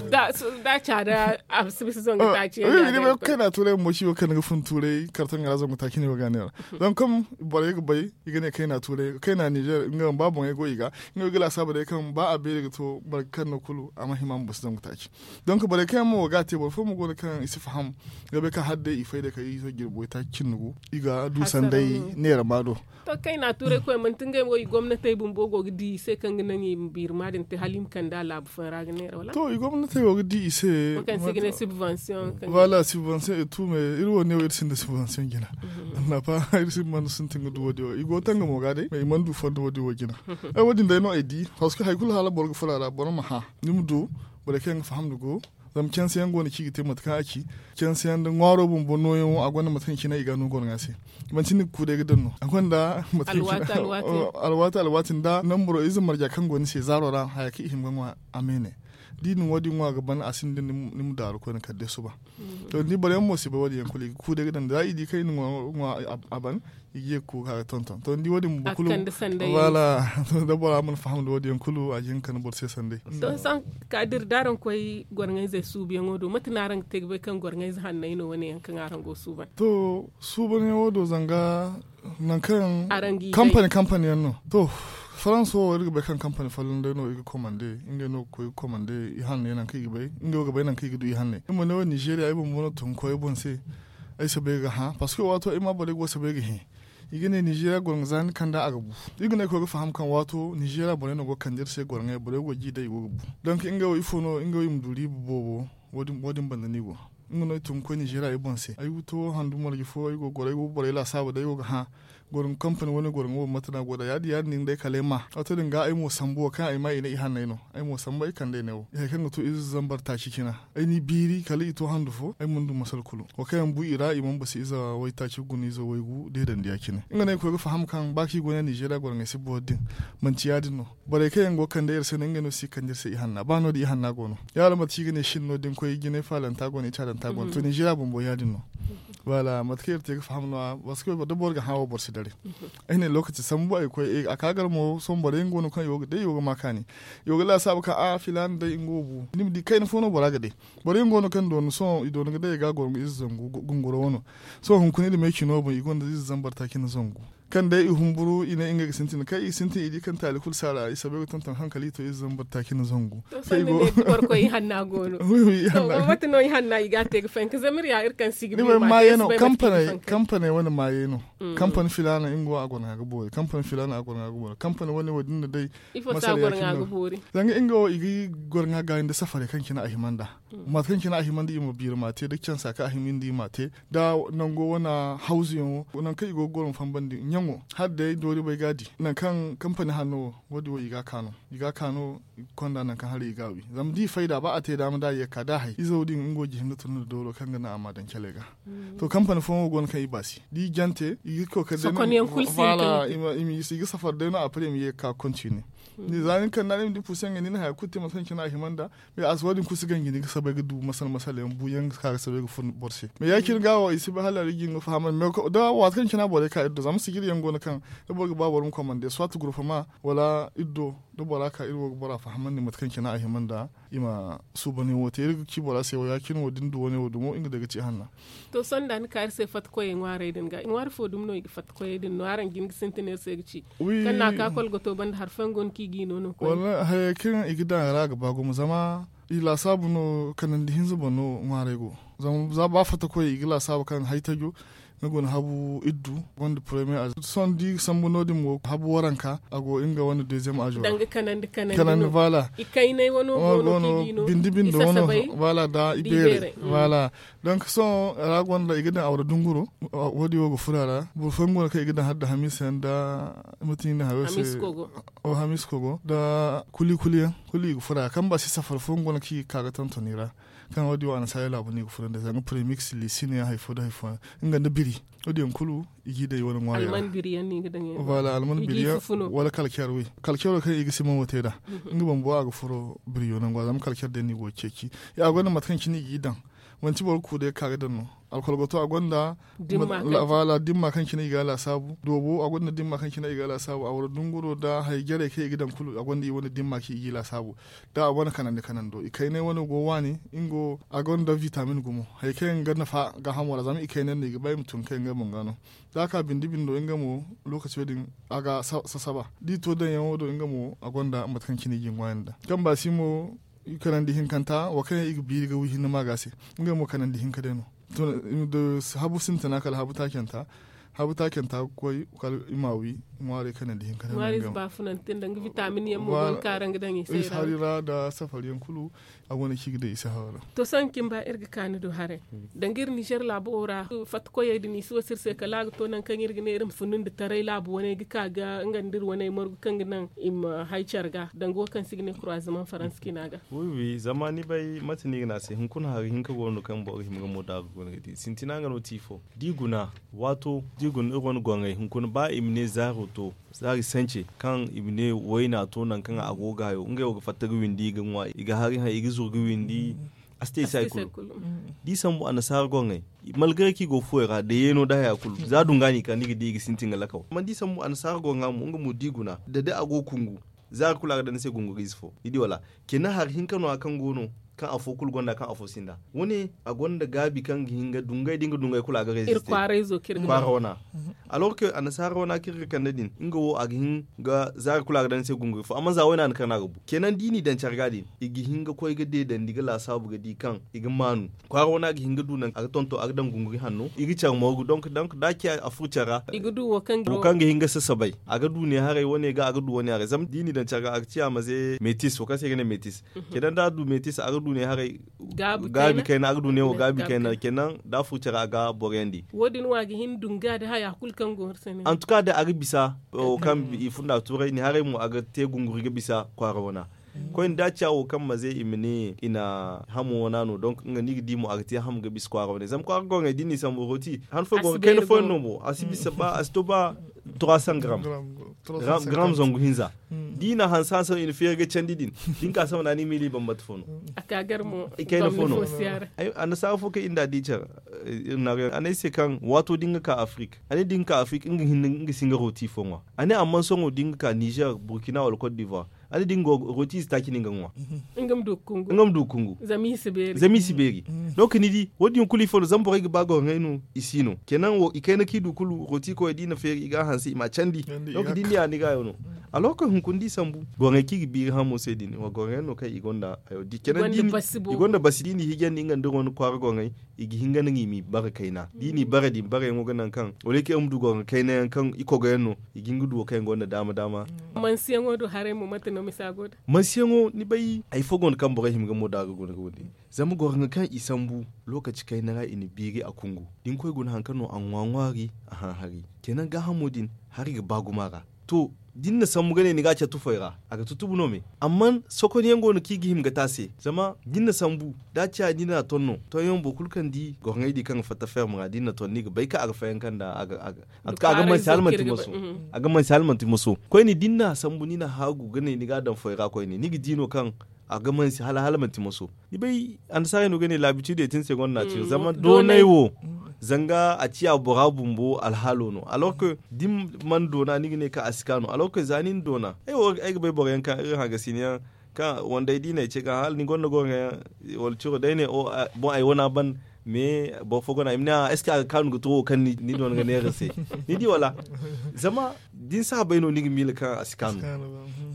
da caada a si bisa zangu taaci yaŋ. Ni bay kayna tuuray mo ci wo kaŋ ni ga fun tuuray karton ga ra zangu taaci ne wo ga neera. Zama kaŋ borey ga bay i ga ne kayna tuuray kayna nizer nga ba boŋey go i ga. Nga wo i ga laasaabu day kaŋ ba a beeri ga to boro kaŋ no kulu a ma hima ma bisa zangu taaci. Donc borey kaŋ yaŋ mo wo ga a te boro fo mo go no kaŋ i si faham. Ga bay kaŋ hala day i fay day kala i zo jirbi waytaaci cindi gu i ga du sanday neera ma do. To kayna tuuray koy manti ngey mo i gomnatey bumbo go ga di i se kaŋ ga naŋ i ma biiri ma din te hala i ma kande a laabu fooyaŋ ra ga neera wala? To i gomnatey go ga di i se. Wala subvention et tout mais iri wo ne wo iri sinda subvention jina. Annafa iri si mana sintin ga du wo- din wo i go tangamo ga day mais i mana du fondo wo- din wo jina. Ay wo- din day no ay di parce que hari kulu hala boro ga furo a ra boro ma hã ni ma du. Borey kaŋ yaŋ ga faham da go zama canse yaŋ go no kaŋ i ga te mate kaŋ a ci. Canse yaŋ da ŋwaaro bumbo nooyaŋo a gonda mate kaŋ cine i ga a no goro ŋwa se. Manti ni ga ku day ga daŋ no a gonda mate kaŋ cine. Alwaati alwaati nda namburo ize marja kaŋ go ni se zaaro ra haya kaŋ i hima ga ŋwa a meene. Da i na wo- din ŋwa ga ban a sinda ni ma daaru koyne kala day suba. To ni di boro yaŋ mo si bay wo- din yaŋ kulu i ga ku day ga daŋ za i di kaŋ i na ŋwa a ban. I ga ye ga ku ga ka ga tonton to ni di wo- din bumbo kulu. Wala da bora mana faham da wo- din yaŋ kulu a ga hin ga kande boro se sanday. To sohõ ka da iri da araŋ koy goro ŋayzey suubuyaŋo do mate no araŋ ga te ga bay kaŋ goro ŋayze hanney no wane yaŋ kaŋ araŋ go suuban? To suubanyaŋo do zanga nangu kaŋ kampani kampani yaŋ no. To farans wo iri ga bay kaŋ kampani folloŋ day no iri ga komande ngey no ga koy ga komande i hanney nangu kaŋ i ga bay ngey wo ga bay nangu kaŋ i ga du i hanney iri ma ne wo ninzeeriya ay bumbo no tun ga koy ay boŋ se. Ay si bay ga hã parce que waato ay ma borey go si bay ga hẽ. I ga ne ninzeeriya goro ŋwa za ni kanda a ga bu. Iri ga ne ay koy ga faham kaŋ waato ninzeeriya borey no go ga kande iri se goro ŋwa borey go ga ji day i go ga bu. Donk ngey wo ifo no ngey wo i ma du riiba boobo? Wo- din banda no i go. Nga no ay tun ga koy ninzeeriya ay boŋ se ay ga to handu marje fo ay go ga goro ay go ga borey laasaabu day ay go ga hã. Goro ŋwa kampani wane goro ŋwa wo mate no a go nd'a ya- din ya- din day kala ay ma waato din ga ay mo sambu wo kaŋ ay ma i ne i hanney no. Ay mo sambu ay kande ay ne wo hari kaŋ ga to ize zambar taaci cina. Ay n'i biiri kala i to handu fo ay mana du masal kulu. Wo kaŋ yaŋ bu i ra i mana basi ize waytaaci guna ize waygu deedandi ya- cine nga no ay koy ga faham kaŋ ba kaŋ i go ne ninzeeriya goro ŋwa si boro din. Manti ya- din no. Borey kaŋ yaŋ go ga kande iri se no ngey no si ga kande iri se i hanna ba no- din i hanna go no. Ya- din mate kaŋ i ga ne shin no da ni koy jinay faalanta go no i caadanta go no to ninzeeriya bumbo ya- din no. Wala mate kaŋ iri te ga faham no- ya parce que da boro ga hã wo boro si daray. Ay ne lookaci sambu ay koy a ka gar mo sohõ boro yaŋ go no kaŋ i wo ga day i wo ga ma kaani. I wo ga laasaabu kaŋ a filaana day nga wo bu ni ma di kayna fo no bora ga day. Boro yaŋ go no kaŋ doonu sohõ i doonu ga day i ga a goro nga ize zangu gunguro wano. Sohõ hunkuna iri ma ay cino boŋ i gonda ize zambar taaci nda zangu. Kaŋ day i humburu i ne ngey ga sintin kaŋ i ga sintin i di kaŋ taali kulu si a ra i soobay ga tonton haŋ kala i to ize zambar taaci nda zangu. Kaŋ i go boro koy i hanna go no. Mate no i hanna i ga a te ga fayanka zama iri ya iri kaŋ si ga bi ma te i si bay mate kaŋ i ga fayanka. Kampaney wane maayey no. Kampani filaana nga wo a goro ŋwa ga boori kampani filaana a goro ŋwa ga boori kampani wane wo- din no day. Ifo se a goro ŋwa ga boori? Zanga nga wo i ga goro ŋwa gaayi nda safarey kaŋ cine a hima nd'a. Mate kaŋ cine a hima nda i ma biiri ma te da cansa kaŋ a hima nda i ma te da nango wane hawzuyaŋo nangu kaŋ i go ga goro ma fambandi ɲaŋo hala day doori bay ga a di nangu kaŋ kampani hanno wo wo- din wo i ga a kaanu. I ga a kaanu konda nangu kaŋ hala i ga a wi zama da i fayda ba a te daama da a ye ga ka da a hay izo din nga wo ga hin ga tun nda dooro kaŋ ga naŋ a ma daŋ caley ga. To kampani fooyaŋ wo go no kaŋ i baasi da i jante i ga koy kala day no i ma i ga safar day no a pare i ma ye ga ka kontine. Za ni kanda ni ma di puusu yaŋ ga ni na haya kulu te mate kaŋ cine a hima nda. Mais a si wo- din kulu si ganji ni ga sabay ga du masal masal yaŋ buuyaŋ ga ka ga sabay ga fun boro se mais ya- cine ga wo i si bay hala a ga jin ga fahamandi mais da waati kaŋ cine a borey ka iri do zama sijiri yaŋ go no kaŋ da boro ga ba boro ma komande soit gurfama wala iri do da bora ka iri wo ga bora fahamandi mate kaŋ cine a hima nda. I ma suuban yaŋo te iri ga ci bora se wo ya- cine wo da ni du wane wo dumo nga day ga ci hanna. To sohõ da ni ka iri se fatta koyey ŋwaarey din ga i ŋwaari fo dumi no i ga fatta koyey din no araŋ ga hin ga sintin iri se ga ci kaŋ no a ka kolgoto banda hari fooyaŋ go no kaŋ i ga i no no koy. Wala hayey kaŋ i ga daŋ a ra a ga ba gumo zama i laasaabu no kanandi hinza boŋ no ŋwaarey go. Zama za ba fatta koyey i ga laasaabu kaŋ haytajo Nga go no habu iddu, gonda premier âge. Sohõ da i ga sambu no- din mo habu waranka a go nga wane deuxième âge ra. Kanandi kanandi no. Voilà. I kaynay wano go no kaŋ i ga no. Bindi bindi wano. Voilà, da i beeray. Voilà. Donc sohõ ra gonda i ga daŋ awra dunguro. Wo- din wo ga furo a ra. Boro fooyaŋ go no kaŋ i ga daŋ hala da hamiisa yaŋ da mate no i ga ne hayo se. Hamiisa kogo. Da kuli kuli yaŋ kulu i ga furo a ra kaŋ ba si safari fooyaŋ go no kaŋ i ga ka ga tonton i ra. Kaŋ wo- din wo annasaarey laabu no i ga furo nda zanga premix liisi no yaŋ hari fo nda hari fo yaŋ. Nga nda biri wo- din yaŋ kulu i ga i daŋ i wane ŋwaari ra. Alman biri yaŋ no i ga daŋ i wane ŋwaari ra. Wala kalker wi. Kalkero kaŋ i ga siman wo te nd'a. Nga bumbo a ga furo biriyo nangu ra zama kalker day no i go ga ceeci. A gonda mate kaŋ cine i ga i daŋ. Manti boro ga ku day ga ka ga daŋ no. Alkolgoto a gonda dimma kaŋ cine i ga a laasaabu. Doobo a gonda dimma kaŋ cine i ga a laasaabu a wara dunguro nda hari jarey kaŋ i ga daŋ kulu a gonda i wane dimma kaŋ i ga i laasaabu. Da a wane kanandi kanando i kaynay wane go waani. Nga wo a gonda vitamin gumo hari kaŋ yaŋ ga nafa gaahamo ra zama i kaynay no i ga ba i ma tun kaŋ yaŋ ga banga no. Da a ka bindi bindo nga mo lokaco din a ga sasaba da i to daŋyaŋo do nga mo a gonda mate kaŋ cine i ga i ŋwaayandi nd'a. Kaŋ ba si mo kanandi hinkanta wo kaŋ yaŋ i ga biiri ga wi hinne maaga se. Nga mo kanandi hinka day no. Habu sintina kala habu taacanta. Habu taacanta ga koy kala i ma wi ŋwaari kanandi hinka day no. Ŋwaari baafunante nda nga vitamin yaŋ mo go ga kaara nga daŋ i se ra. Hari ra nda safari yaŋ kulu. A go no kaŋ i ga day i se haw ra. To sohõ cimba iri ga ka ni du haray. Danga iri nizer laabo wo ra fatta koyey din i si wasu iri se kala a ga to nangu kaŋ iri ga ne iri ma funu nda taray laabu wane ga ka ga nga nda iri wane margu kaŋ ga naŋ i ma hay care ga danga wo kaŋ se i ga ne kuraazamaŋ faransa cina ga. Wi wi zama ni bay mate no i ga ne a se hunkuna hari hinka go no kaŋ boro ga hima ga mo da ga guna ga di sintina nga no ti fo. Da i guna waato da i guna iri wane gorŋey hunkuna ba i ma ne zaaro to. Zaari sance kaŋ i ma ne wayna to nangu kaŋ a go ga hayo ngey wo ga fatta ga windi i ga ŋwa i ga hari haŋ i ga zuru ga windi. A si te i se hari kulu. Da i sambu annasaara gorŋey malgare kaŋ i go fuwey ra da yeeno da haya kulu za dunga no i ka ni ga di i ga sintin ga lakaw amma da i sambu annasaara gorŋa mo nga mo da i guna da day a go ga kungu. Zaari kulu a ga daŋ ni se gunguriize fo ni di wala? Kina hari hinka no- ya kaŋ go no kaŋ afo kulu gonda kaŋ afo sinda. Wo- ne a gonda gaabi kaŋ ga hin ga dungay da nga dungay kulu a ga reeziste. Kwaara wana. Alors que annasaara wana kaŋ iri ga kande din nga wo a ga hin ga zaari kulu a ga daŋ ni se gunguri fo amma za wayna no kaŋ no a ga bu kenan da i n'i daŋ care ga din i ga hin ga koy ga deedandi ga laasaabu ga di kaŋ i ga maanu. Kwaara wana ga hin ga du nangu a ga tonton a ga daŋ gunguri hanno i ga care mooru donk da a ciya a furo care ra. Wo kaŋ ga hin ga sasabay a ga du ne haray wane ga a ga du wane haray zama da i n'i daŋ care ga a ga ciya maze metis wo kaŋ se i ga ne metis. Kenan da a du metis a ga du ne haray gaabi kayna a ga du ne wo gaabi kayna kenan da a furo care a ga boriyandi. Wo- din wo a ga hin dunga da haya kulu kaŋ go iri se ne. Antuka da a ga bisa wo kaŋ i funda tuuray ni haray mo a ga te gunguri ga bisa kwaara wana. Koyne da a ciya wo kaŋ maze i ma ne i na hamo wana no donk nga no i ga di mo a ga te hamo ga bisa kwaara wane zama kwaara gorŋey da i n'i sambu rooti han fooyaŋ go ga kayna fooyaŋ no mo a si bisa ba a si to ba trois cents grammes. Grammes zangu hinza. Da i na hanse hanse no i na feeri ga candi din da ni ka sama nda ni miili bambata fo no. I kayna fo no. Annasaara fo kaŋ i nda di care. Iri na a ne ay se kaŋ waato da ni ga ka afrik a ne da ni ga ka afrik nga hinne nga si nga rooti fo ŋwa. A ne amma sohõ da ni ga ka nizer burkina wala cote d'ivoire a ne da ni ga rooti ize taaci no nga ga ŋwa. Nga ma du ga kungu. Zama i si beeri. Donc ni di wo- din kulu ifo no zama borey ga ba gorŋey no i si no kenan wo i kayna kaŋ i du kulu rooti koyey da i na feeri i ga a hanse i m'a candi. Donc da ni di a ni ga hayo no. Alors que hunkuna da i sambu gorŋey kaŋ i ga biiri hamo se din wa gorŋey yaŋ no kaŋ i gonda hayo di kenan da i gonda basi da i n'i hijandi nga nda iri wane kwaara gorŋey i ga hin ga naŋ i m'i bare kayna da i n'i bare din bareyaŋo ga naŋ kaŋ wala i kaŋ iri ma du gorŋa kayna yaŋ kaŋ i kogoyaŋ no. I ga hin ga du wo kaŋ yaŋ gonda daama daama. Mansiyaŋo do haray mo mate no misa go da mansiyaŋo ni bay hari fo gonda kaŋ borey hima ga mo da ga guna ga windi. Zama gorŋa kaŋ i sambu lokaci kayna ra i na biiri a kungu da ni koy guna hari kaŋ no a ŋwa ŋwaari a haŋ hari. Kenan gaahamo din hari ga ba gumo a ra. To da ni na sambu ga ne ni ga a care tufey ra a ga tutubu no me. Amma sokonyaŋ go no kaŋ i ga hima ga te a se zama da ni na sambu da a ciya da ni na ton no tonyaŋ boro kulu kaŋ di gorŋey di kaŋ ga fatta ferme ra da ni na ton ni ga bay kaŋ a ga fayanka nda a ga a ga mansi hala manti moso. A ga mansi hala manti moso koyne da ni na sambu ni na haagu ga ne ni ga a daŋ foy ra koyne ni ga di no kaŋ a ga mansi hala hala manti moso. Ni bay annasaarey no ga ne laabitidey te ni se gonda naati zama doonay wo zanga a ciya bora bumbo alhaalo no alors que da ni mana doona ni ga ne kaŋ a si ka no alors que za ni na doona ay wo ay ga bay boro yaŋ kaŋ iri hagasina yaŋ kaŋ wandey da i na ay ce ga hala ni gonda gorŋa yaŋ wala ciro day ne boŋ ay wana ban. Mais boro fo gona i ma ne a est ce que a ga kaanu ga to wo kaŋ ni doona ga neera se ni di wala? Zama Da ni si a bay no ni ga miila kaŋ a si kaanu.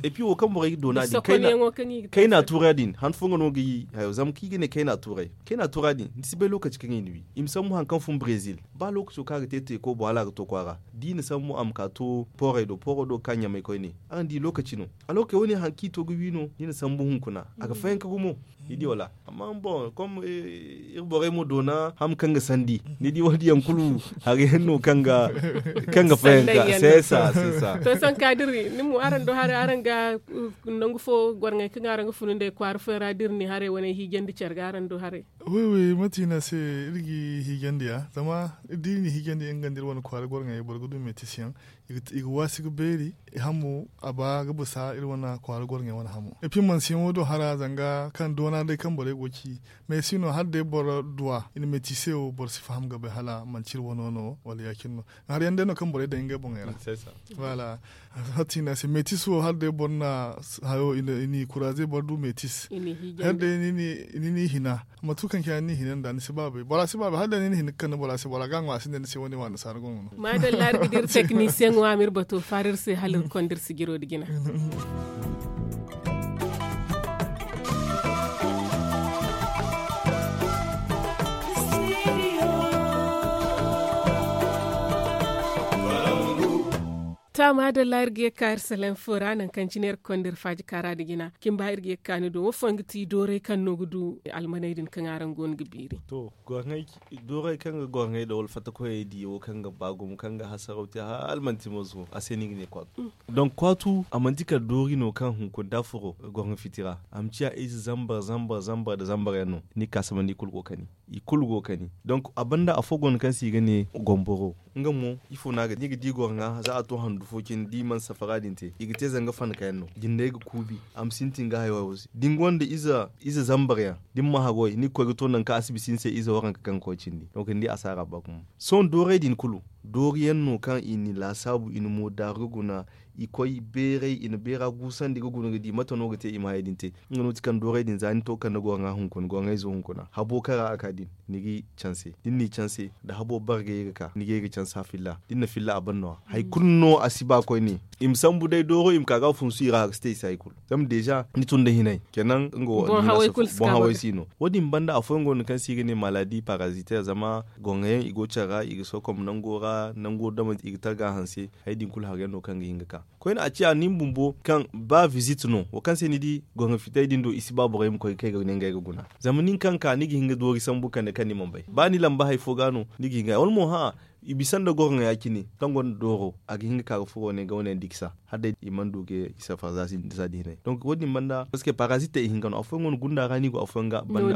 Et puis wo kaŋ borey ga doona din kayna tuura din han fo nga no ga yi hayo zama kaŋ i ga ne kayna tuuray kayna tuura din ni si bay lokaci kaŋ i na wi i ma sambu hari kaŋ fun brezil. Ba lokaco kaŋ a ga te teeko bo hala a ga to kwaara da i na sambu a ma ka to poorey do pooro do ga ka ɲamay koyne. Araŋ di lokaci no. Alorke wo- ne hari kaŋ i to ga wi no ni na sambu hunkuna a ga fayanka gumo. Ni di wala amma boŋ kom iri borey ma doona ham kaŋ ga sandi ni di wo- din yaŋ kulu hari yaŋ no kaŋ ga fayanka seesa seesa. To sanka da iri ni mo araŋ do haray araŋ ga nangu fo gorŋey kaŋ araŋ ga funu nd'ey kwaara fooyaŋ ra da iri ne haray wane hiijandi care ga araŋ do haray. Wi wi mate i ne a se iri ga i hiijandi ya zama da iri na i hiijandi nga nda iri wane kwaara gorŋey boro ga du meetis yaŋ. I ga waasi ga beeri i hamo a ba ga bisa iri wane kwaara gorŋey wane hamo. Epi mansiyaŋo do hara zanga kaŋ doona day kaŋ borey go ga ci. Mais si no hala day boro duwa i na meetise wo boro si faham ga bay hala manci iri wano no wala ya- cine no. Hari yaŋ day no kaŋ borey daŋ ngey boŋey ra. Voilà. Hati i ne a se meetis wo hala day boro na hayo i n'i kuraaze boro du meetis. Hala day ni n'i hina mate kulu kaŋ cine ni n'i hina nd'a ni si ba bay bora si ba bay hala day ni n'i hina ga kande bora se bora ga a ŋwa a sinda ni se wane wane saara go no. Maadalla iri ga di iri teknisiyeŋo a ma iri bato faara iri se hala iri konda iri sijiro nda jina. To a maadalla iri ga ye ga ka iri salaŋ fo ra nangu kaŋ cine iri ga konda iri faaji kaara nda jina cimba iri ga ye ga ka ni do wo fooyaŋ ga ti dooray kaŋ no ga du almaney din kaŋ araŋ go no ga biiri. To gorŋey dooray kaŋ ga gorŋey da wala fatta koyey di wo kaŋ ga ba gumo kaŋ ga hasaraw te hala manti moso a se no i ga ne kwaatu. Donc kwaatu a manti kala doori no kaŋ hunkuna da a furo gorŋa fiti ra a ma ciya ize zambar zambar zambar nda zambar yaŋ no. Ni ga ka samandi i kulu go ga kani. I kulu go ga kani. Donc a banda afo go no kaŋ se i ga ne gomboro. Nga mo ifo no a ga di ni ga di gorŋa za a to handu fo cine da i mana safara din te i ga te zanga fanka yaŋ no jindey ga kuubi. A ma sintin ga hayo hayo se da ni gonda ize zambar yaŋ da ni ma hagoy ni ga koy ga to nangu kaŋ a si bisa ni se ize waranka kaŋ ga koy cindi. Donc ni di asaara ba gumo. Sohõ dooray din kulu doori yaŋ no kaŋ i na i laasaabu i na moodaaru ga guna. I koy beeray i na beera guusandi ga guna ga di mate no ga te i ma hayey din te. Nga no ti kaŋ dooray din za ni to ga kande gorŋa hunkuna gorŋayzo hunkuna habo kaŋ ra a ka din ni g'i canse da ni n'i canse da habo bargayey ga ka ni ga ye ga canse a filla da ni na filla a ban no-ya. Hari kulu no a si ba koyne. I ma sambu day dooro i ma ka ga funsu i ra a ga si te i se hari kulu. Zama deeza ni tun nda hinay kenan nga wo boŋ haway si no. Wo- din banda afooyaŋ go no kaŋ se i ga ne maladi paraziter zama gorŋa yaŋ i go care ra i ga sokom nango ra nango dama i ga targa hanse. Hari din kulu hari yaŋ no kaŋ ga hin ga ka koyne a ciya ni ma bumbo kaŋ ba vizit no wo kaŋ se ni di gorŋa fitay din do i si ba borey ma koy ga kay ga ne ngey ga guna. Zama nin kaŋ ka ni ga hin ga doori sambu kande kaŋ ni mana bay ba ni lamba hari fo ga no ni ga hin ga wala mo hã. I bisa nda gorŋa ya- cine kaŋ gonda dooro a ga hin ga ka ga furo ne ga wane yaŋ dikisa hala day i mana du ga i safara za si nda za da hinay. Donc wo- din banda parceque parazit te i hinka no afooyaŋ go no gunda ra no i go afooyaŋ ga banda.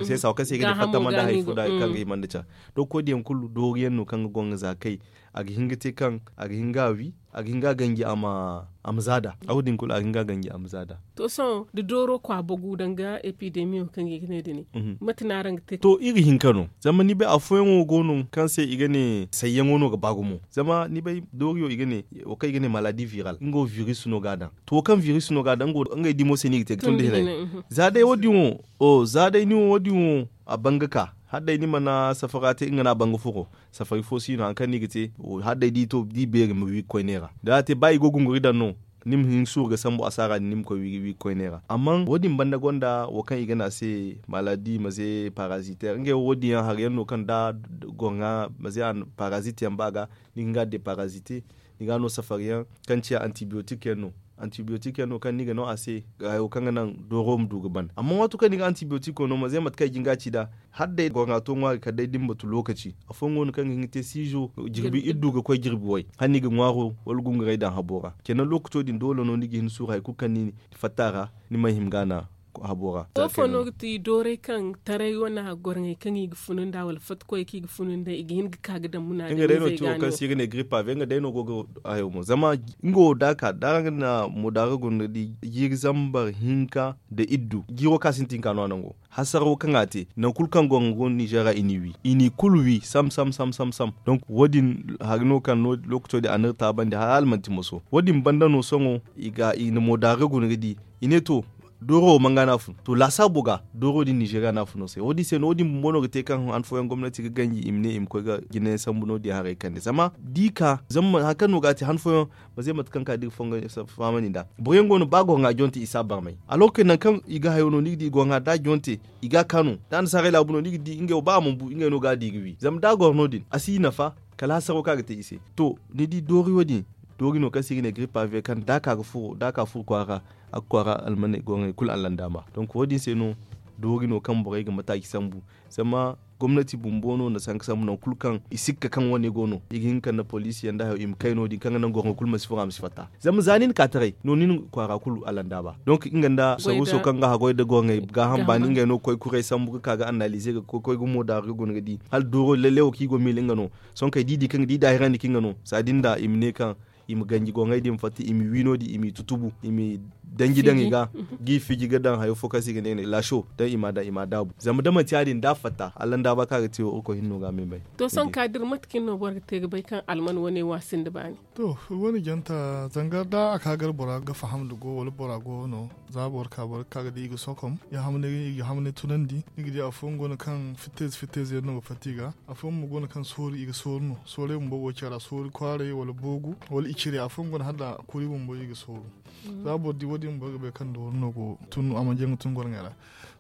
Seesa wo kaŋ se i ga ne fatta manda hari fo da kaŋ ga hima nda care. Donc wo- din yaŋ kulu doori yaŋ no kaŋ ga gorŋa za kay a ga hin ga te kaŋ a ga hin ga a wi a ga hin ga a ganji a ma za da a wo- din kulu a ga hin ga a ganji a ma za da. To sohõ da dooro kwa bagu danga epidemiyo kaŋ i ga ne da ne mate no araŋ ga te? To iri hinka no zama ni bay afooyaŋo go no kaŋ se i ga ne sayyaŋo no ga ba gumo zama ni bay dooriyo i ga ne wo kaŋ i ga ne maladi viral nga wo virus no ga a daŋ. To wo kaŋ virus no ga a daŋ nga wo ngey dimo se no i ga te ga tun da hinay. Za day wo- din wo za day ni wo wo- din wo a ban ga ka hala day ni mana safara te nga no a ban ga furo. Safari fo si no hari kaŋ no i ga te hala day da i to da i beeri ma wi ga koy neera da a te ba i go gunguri daŋ no. Ni ma hin suuru ga sambu asaara din ni ma koy wi ga koy neera amma wo- din banda gonda wo kaŋ i ga ne a se maladi maze paraziter ngey wo- din yaŋ hari yaŋ no kaŋ da gorŋa maze parazit yaŋ ba ga ni ga hin ga a deparazite. Ni ga a no safari yaŋ kaŋ ciya antibiyotik yaŋ no. Antibiyotik yaŋ no kaŋ ni ga no a se hayo kaŋ ga naŋ dooro ma du ga ban amma waato kaŋ ni ga antibiyotik no maze mate kaŋ i ga hin ga a ci nd'a hala day gorŋa to ŋwaari kala day da ni batu lokaci. Afooyaŋ go no kaŋ ga hin ga te siizo jirbi iddu ga koy jirbi way hala ni ga ŋwaaro wala gunguray daŋ habo ra. Kenan lookaco din doole no ni ga hin suuru hari kulu kaŋ ni fatta a ra. Ni mana hima ga a naŋ habo ra. Wo fo no ga ti dooray kaŋ taray wane gorŋey kaŋ i ga funu nd'a wala fatta koyey kaŋ i ga funu nd'a i ga hin ga ka ga daŋ muna day no ti wo kaŋ se i ga ne grippe aviaire nga day no go ga hayo mo zama nga wo da a ka da araŋ ga na moodaaru guna di jiiri zambar hinka nda iddu jiiro kaŋ a sintin ka no a nango hasaraw kaŋ a te nangu kulu kaŋ gorŋa go nizeer ra i n'i wi i n'i kulu wi sam sam sam sam. Donc wo- din hari no kaŋ no lookaco din a n'iri taabandi hala manti moso wo- din banda no sohõ i ga i na moodaaru guna ga di i ne to. Dooro wo manga no a fun to laasaabo ga dooro din ninzeeriya no a fun no se wo- din se no wo- din bumbo no ga te kaŋ han fooyaŋ gomnati ga ganji i ma ne i ma koy ga jinayaŋ sambu no- din haray kande zama da i ka zama hari kaŋ no ga a te han fooyaŋ, ma ze mate kaŋ ka da i ga fongo fahamandi nd'a. Boro yaŋ go no ba goro ŋwa jonte i si a barmay. Alorke nangu kaŋ i ga hayo no ni ga di goro ŋwa da a jonte i ga a kaanu da annasaarey laabu no ni ga di ngey wo ba a mana bu ngey no ga a di ga wi zama da a goro no- din a si i nafa. Kala hasaro kaŋ a ga te i se to ni di doori wo- din doori no kaŋ se i ga ne giripa ve kaŋ da a ka ga furo da a ka furo kwaara a ga kwaara almaney goro ŋey kulu allandaama. Donk wo- din se no doori no kaŋ borey ga mataaci sambu. Zama gomnati bumbo no na sanka sambu nangu kulu kaŋ i sikka kaŋ wane go no i ga hin ga kande poliisi yaŋ nda hayo i ma kay no- din kaŋ ga naŋ goro ŋey kulu ma si furo a ma si fatta. Zama za ni na ka taray no ni na kwaara kulu allandaaba donk nga nda saruuso kaŋ ga haggoy nda goro ŋey gaaham baani ngey no ga koy kuray sambu ga ka ga annaalize ga koy ga moodaaru ga guna ga di hala dooro lalle wo kaŋ i go miila nga no. Sohõ kay da i di kaŋ ga di i daahirandi kaŋ nga no saadin da i ma ne kaŋ i ma ganji goŋey din fatta i ma wi no- din i m'i tutubu i m'i danji daŋ i ga g'i fiji ga daŋ hayo fo kaŋ se i ga ne laaso daŋ i m'a daabu zama da manti ya- din da a fatta allandaaba kaŋ a ga te wo irkoy hinno ga a ma i bay. To sohõ ka da iri mate kaŋ no boro ga te ga bay kaŋ alman wane wo a sinda baani. To iri wane janta zanga da a ka gar bora ga faham nda go wala bora go no za boro ka boro ga ka ga di i ga sokom i ga hamnay tunandi ni ga di afooyaŋ go no kaŋ fittayze fittayze yaŋ no ga fatta i ga. Afooyaŋ mo go no kaŋ soori i ga sooru no soorey bumbo go care ra soori kwaaray wala boogu wala icire afooyaŋ go no hala kuri bumbo i ga sooru. Za boro di wo- din boro ga bay kaŋ doori no go tun a mana jaŋ ga tun goro ŋey ra.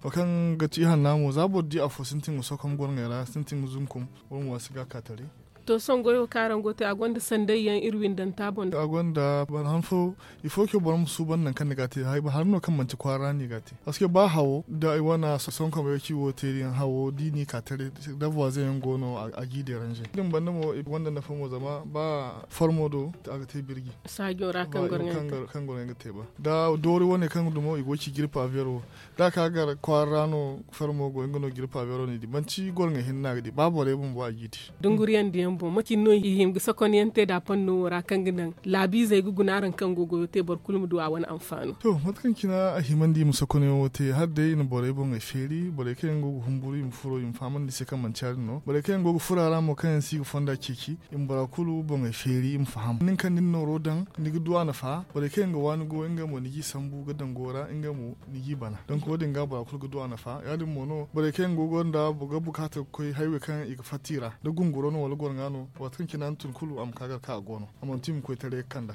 Wo kaŋ ga ti ihanna mo za boro di afo sintin ga sokom goro ŋey ra sintin ga zunkum. Wo mo a si ga a ka taray. To sohõ goyo kaŋ araŋ go ga te a gonda sanday yaŋ iri windanta boŋ. A gonda boro han fo. Il faut que boro ma suuban nangu kaŋ ni ga a te hari no kaŋ manti kwaara ra no i ga a te parceque ba hawo da i wane sonkomey ci wo te din hawo da i n'i ka taray. Da voisin yaŋ go no a g'i deranze din banda mo i gonda nafa mo zama ba formo do a ga te birji. Saajo ra kaŋ goro yaŋ ga te ba da doori wane kaŋ dumo i go ga ci jirpa vero. Da a ka gar kwaara ra no fermo go nga no ga iri paabero no i di manti goro ŋey hinne no a ga di ba borey bumbo a g'i di. Dunguriyaŋ diyaŋ boŋ mate cine no i hima ga sokonyaŋ te da panno wo ra kaŋ ga naŋ laabiizey ga guna araŋ kaŋ go ga goyo te boro kulu ma du a wane anfaano. To mate kaŋ cine a himandi i ma sokonyaŋo te hala day i na borey boŋey feeri borey kaŋ yaŋ go ga humburu i ma furo i ma fahamandi i se kaŋ manti ya- din no borey kaŋ yaŋ go ga furo a ra mo kaŋ yaŋ si ga fonda ceeci i ma bora kulu boŋey feeri i ma faham nin kaŋ da ni nooro daŋ ni ga du a nafa borey kaŋ yaŋ ga waani go nga mo ni g'i sambu ga daŋ go ra nga mo ni g'i bana donk wo- din ga bora kulu ga du a nafa ya- din mo no borey kaŋ yaŋ go gonda ga bukaata ga koy haywey kaŋ i ga fatta i ra da gunguro no wala gorŋa no waati kaŋ cine a na tun kulu a ma ka gar kaŋ a go no a mana tun i ma koy taray ga kand'a.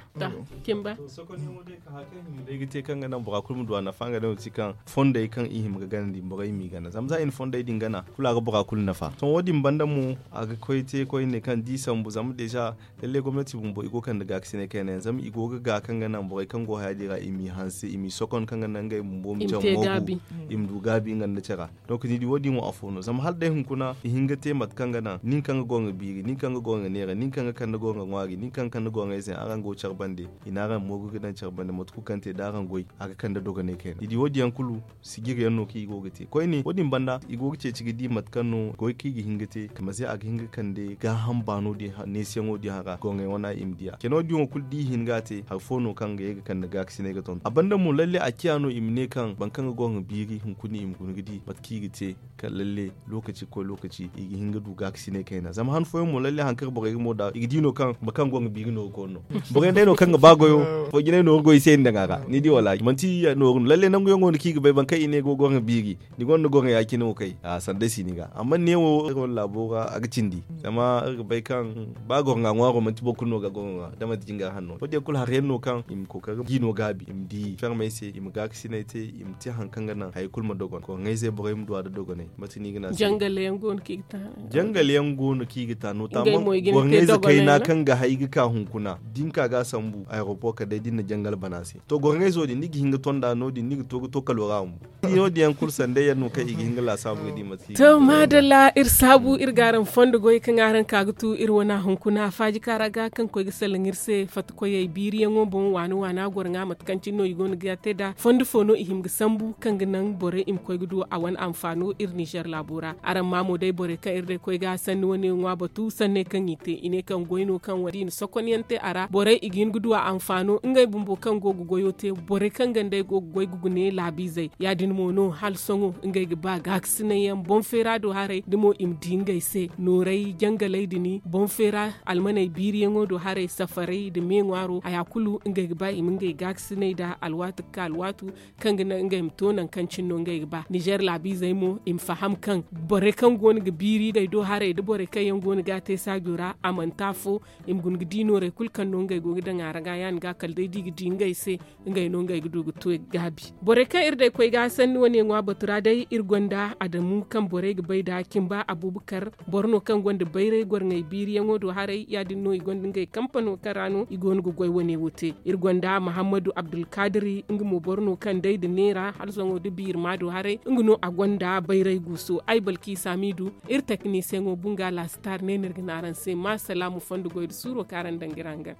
Day ga te kaŋ ga naŋ bora kulu ma du a nafa nga day no ti kaŋ fondey kaŋ i hima ga ganandi borey m'i gana zama za i na fondey din gana kulu a ga bora kulu nafa sohõ wo- din banda mo a ga koy te koyne kaŋ da i sambu zama deeza. Lalle gomnati bumbo i go ga kande gaakasinay kayna yaŋ zama i go ga ga kaŋ ga naŋ borey kaŋ go haya din ra i m'i hanse i m'i sokon kaŋ ga naŋ ngey bumbo ma care moogu i ma du gaabi nga nda care. Donk ni di wo- din wo afo no zama hala day hunkuna i hin ga te mate kaŋ ga naŋ nin kaŋ ga gorŋa biiri nin kaŋ ga gorŋa neera nin kaŋ ga kande gorŋa ŋwaari nin kaŋ ga kande gorŋayze yaŋ araŋ go care bande i na araŋ moogu ga daŋ care bande mate kulu kaŋ te da araŋ goy a ga kande dogonay kayna ni di wo- din yaŋ kulu. Sijiri yaŋ no kaŋ i go ga te koyne wo- din banda i go ga ceeci ga di mate kaŋ no goy kaŋ i ga hin ga te kama se a ga hin ga kande gaaham baano din neesiyaŋo din hara gorŋey wana i ma di a ceno din wo kulu da i hin ga a te hari fo no kaŋ ga ye ga kande gaakasinay ga tonton a banda mo lalle a ciya no i ma ne kaŋ boro kaŋ ga gorŋa biiri hunkuna i ma guna ga di mate kaŋ i ga te. Kala lalle lookaci ga koy lookaci i ga hin ga du gaakasinay kayna zama han fooyaŋ mo lalle hari kaŋ borey ga mo da i ga di no kaŋ boro kaŋ gorŋa biiri no ga koy no. Borey day no kaŋ ga ba goyo foy jinay no ga goy i se i na daŋ a ra ni di wala manti nooru no lalle nangu yaŋo no kaŋ i ga bay boro kaŋ i ne go gorŋa biiri. Ni gonda gorŋa ya- cine wo kay a sanda si ni ga amma ne wo iri wane laabo ra a ga cindi zama iri ga bay kaŋ ba gorŋa ŋwaaro manti boro kulu no ga gorŋa ŋwa da manti jingar hanno wo- din yaŋ kulu hari yaŋ no kaŋ i ma kookari ga i no gaabi i ma di fermey se i ma gaakasinay te i ma te hari kaŋ ga naŋ hari kulu ma dogon gorŋayzey borey ma du a nda dogonay mate no i ga ne a se. Jangal yaŋ go no kaŋ i ga ta no taman gorŋayze kayna kaŋ ga hay ga ka hunkuna da ni ka ga a sambu aeroport kala day da ni na jangal bana se to gorŋayzo din ni ga hin ga tonda no- din ni ga to ga to kalo ra a ma bu. Ni no- din yaŋ kulu sanday yaŋ no kaŋ i ga hin ga laasaabu ga di mate. To maadalla iri saabu iri ga araŋ fondo goy kaŋ araŋ ka ga tu iri wana hunkuna faaji kaara ga kaŋ koy ga salaŋ iri se fatta koyey biiriyaŋo boŋ waana waana goro ŋwa mate kaŋ cine no i go no ga te nd'a fondo fo no i hima ga sambu kaŋ ga naŋ borey i ma koy ga du a wane anfaano iri ninzeer laabo ra araŋ ma mo day borey kaŋ iri day koy ga sanni wane ŋwa batu sanney kaŋ i te i ne kaŋ goy no kaŋ wala i na sokonyaŋ te a ra borey i ga hin ga du a anfaano. ngey bumbo kaŋ go ga goyo te borey kaŋ ga nd'ey go ga goy ga gune laabiizey ya- din mo no hala sohõ ngey ga ba gaakasinay yaŋ boŋ feera do haray da mo i ma di ngey se nooray jangalay din boŋ feera almaney biiriyaŋo do haray safaray nda me ŋwaaro haya kulu ngey ga ba i ma ngey gaakasinay nd'a alwaati ga ka alwaatu kaŋ ga naŋ ngey ma to nangu kaŋ cine no ngey ga ba ninzeer laabiizey mo i ma faham kaŋ borey kaŋ go no ga biiri ngey do haray nda borey kaŋ yaŋ go no ga a te saajo ra a manti afo i ma guna ga di nooray kulu kaŋ no ngey go ga daŋ a ra ga ya- din ga kala day da i ga di ngey se ngey no ngey ga du ga to i ga gaabi. Borey kaŋ iri day koy ga sanni wane ŋwa batu ra day iri gonda adamu kaŋ borey ga bay nd'a cimba abubakar boro no kaŋ gonda bayray gorŋey biiriyaŋo do haray ya- din no i gonda ngey kampano kaŋ ra no i go no ga goy wane wo te. Iri gonda mahammadu abdulkadiri nga mo boro no kaŋ day nda neera hala sohõ nda biirma do haray nga no a gonda bayray guuso ay balki saamiidu iri teknisiyeŋo bunga laasitar ne no iri ga ne araŋ se ma salaamu fondo goy nda suuro kaŋ araŋ daŋ ga iri hangan.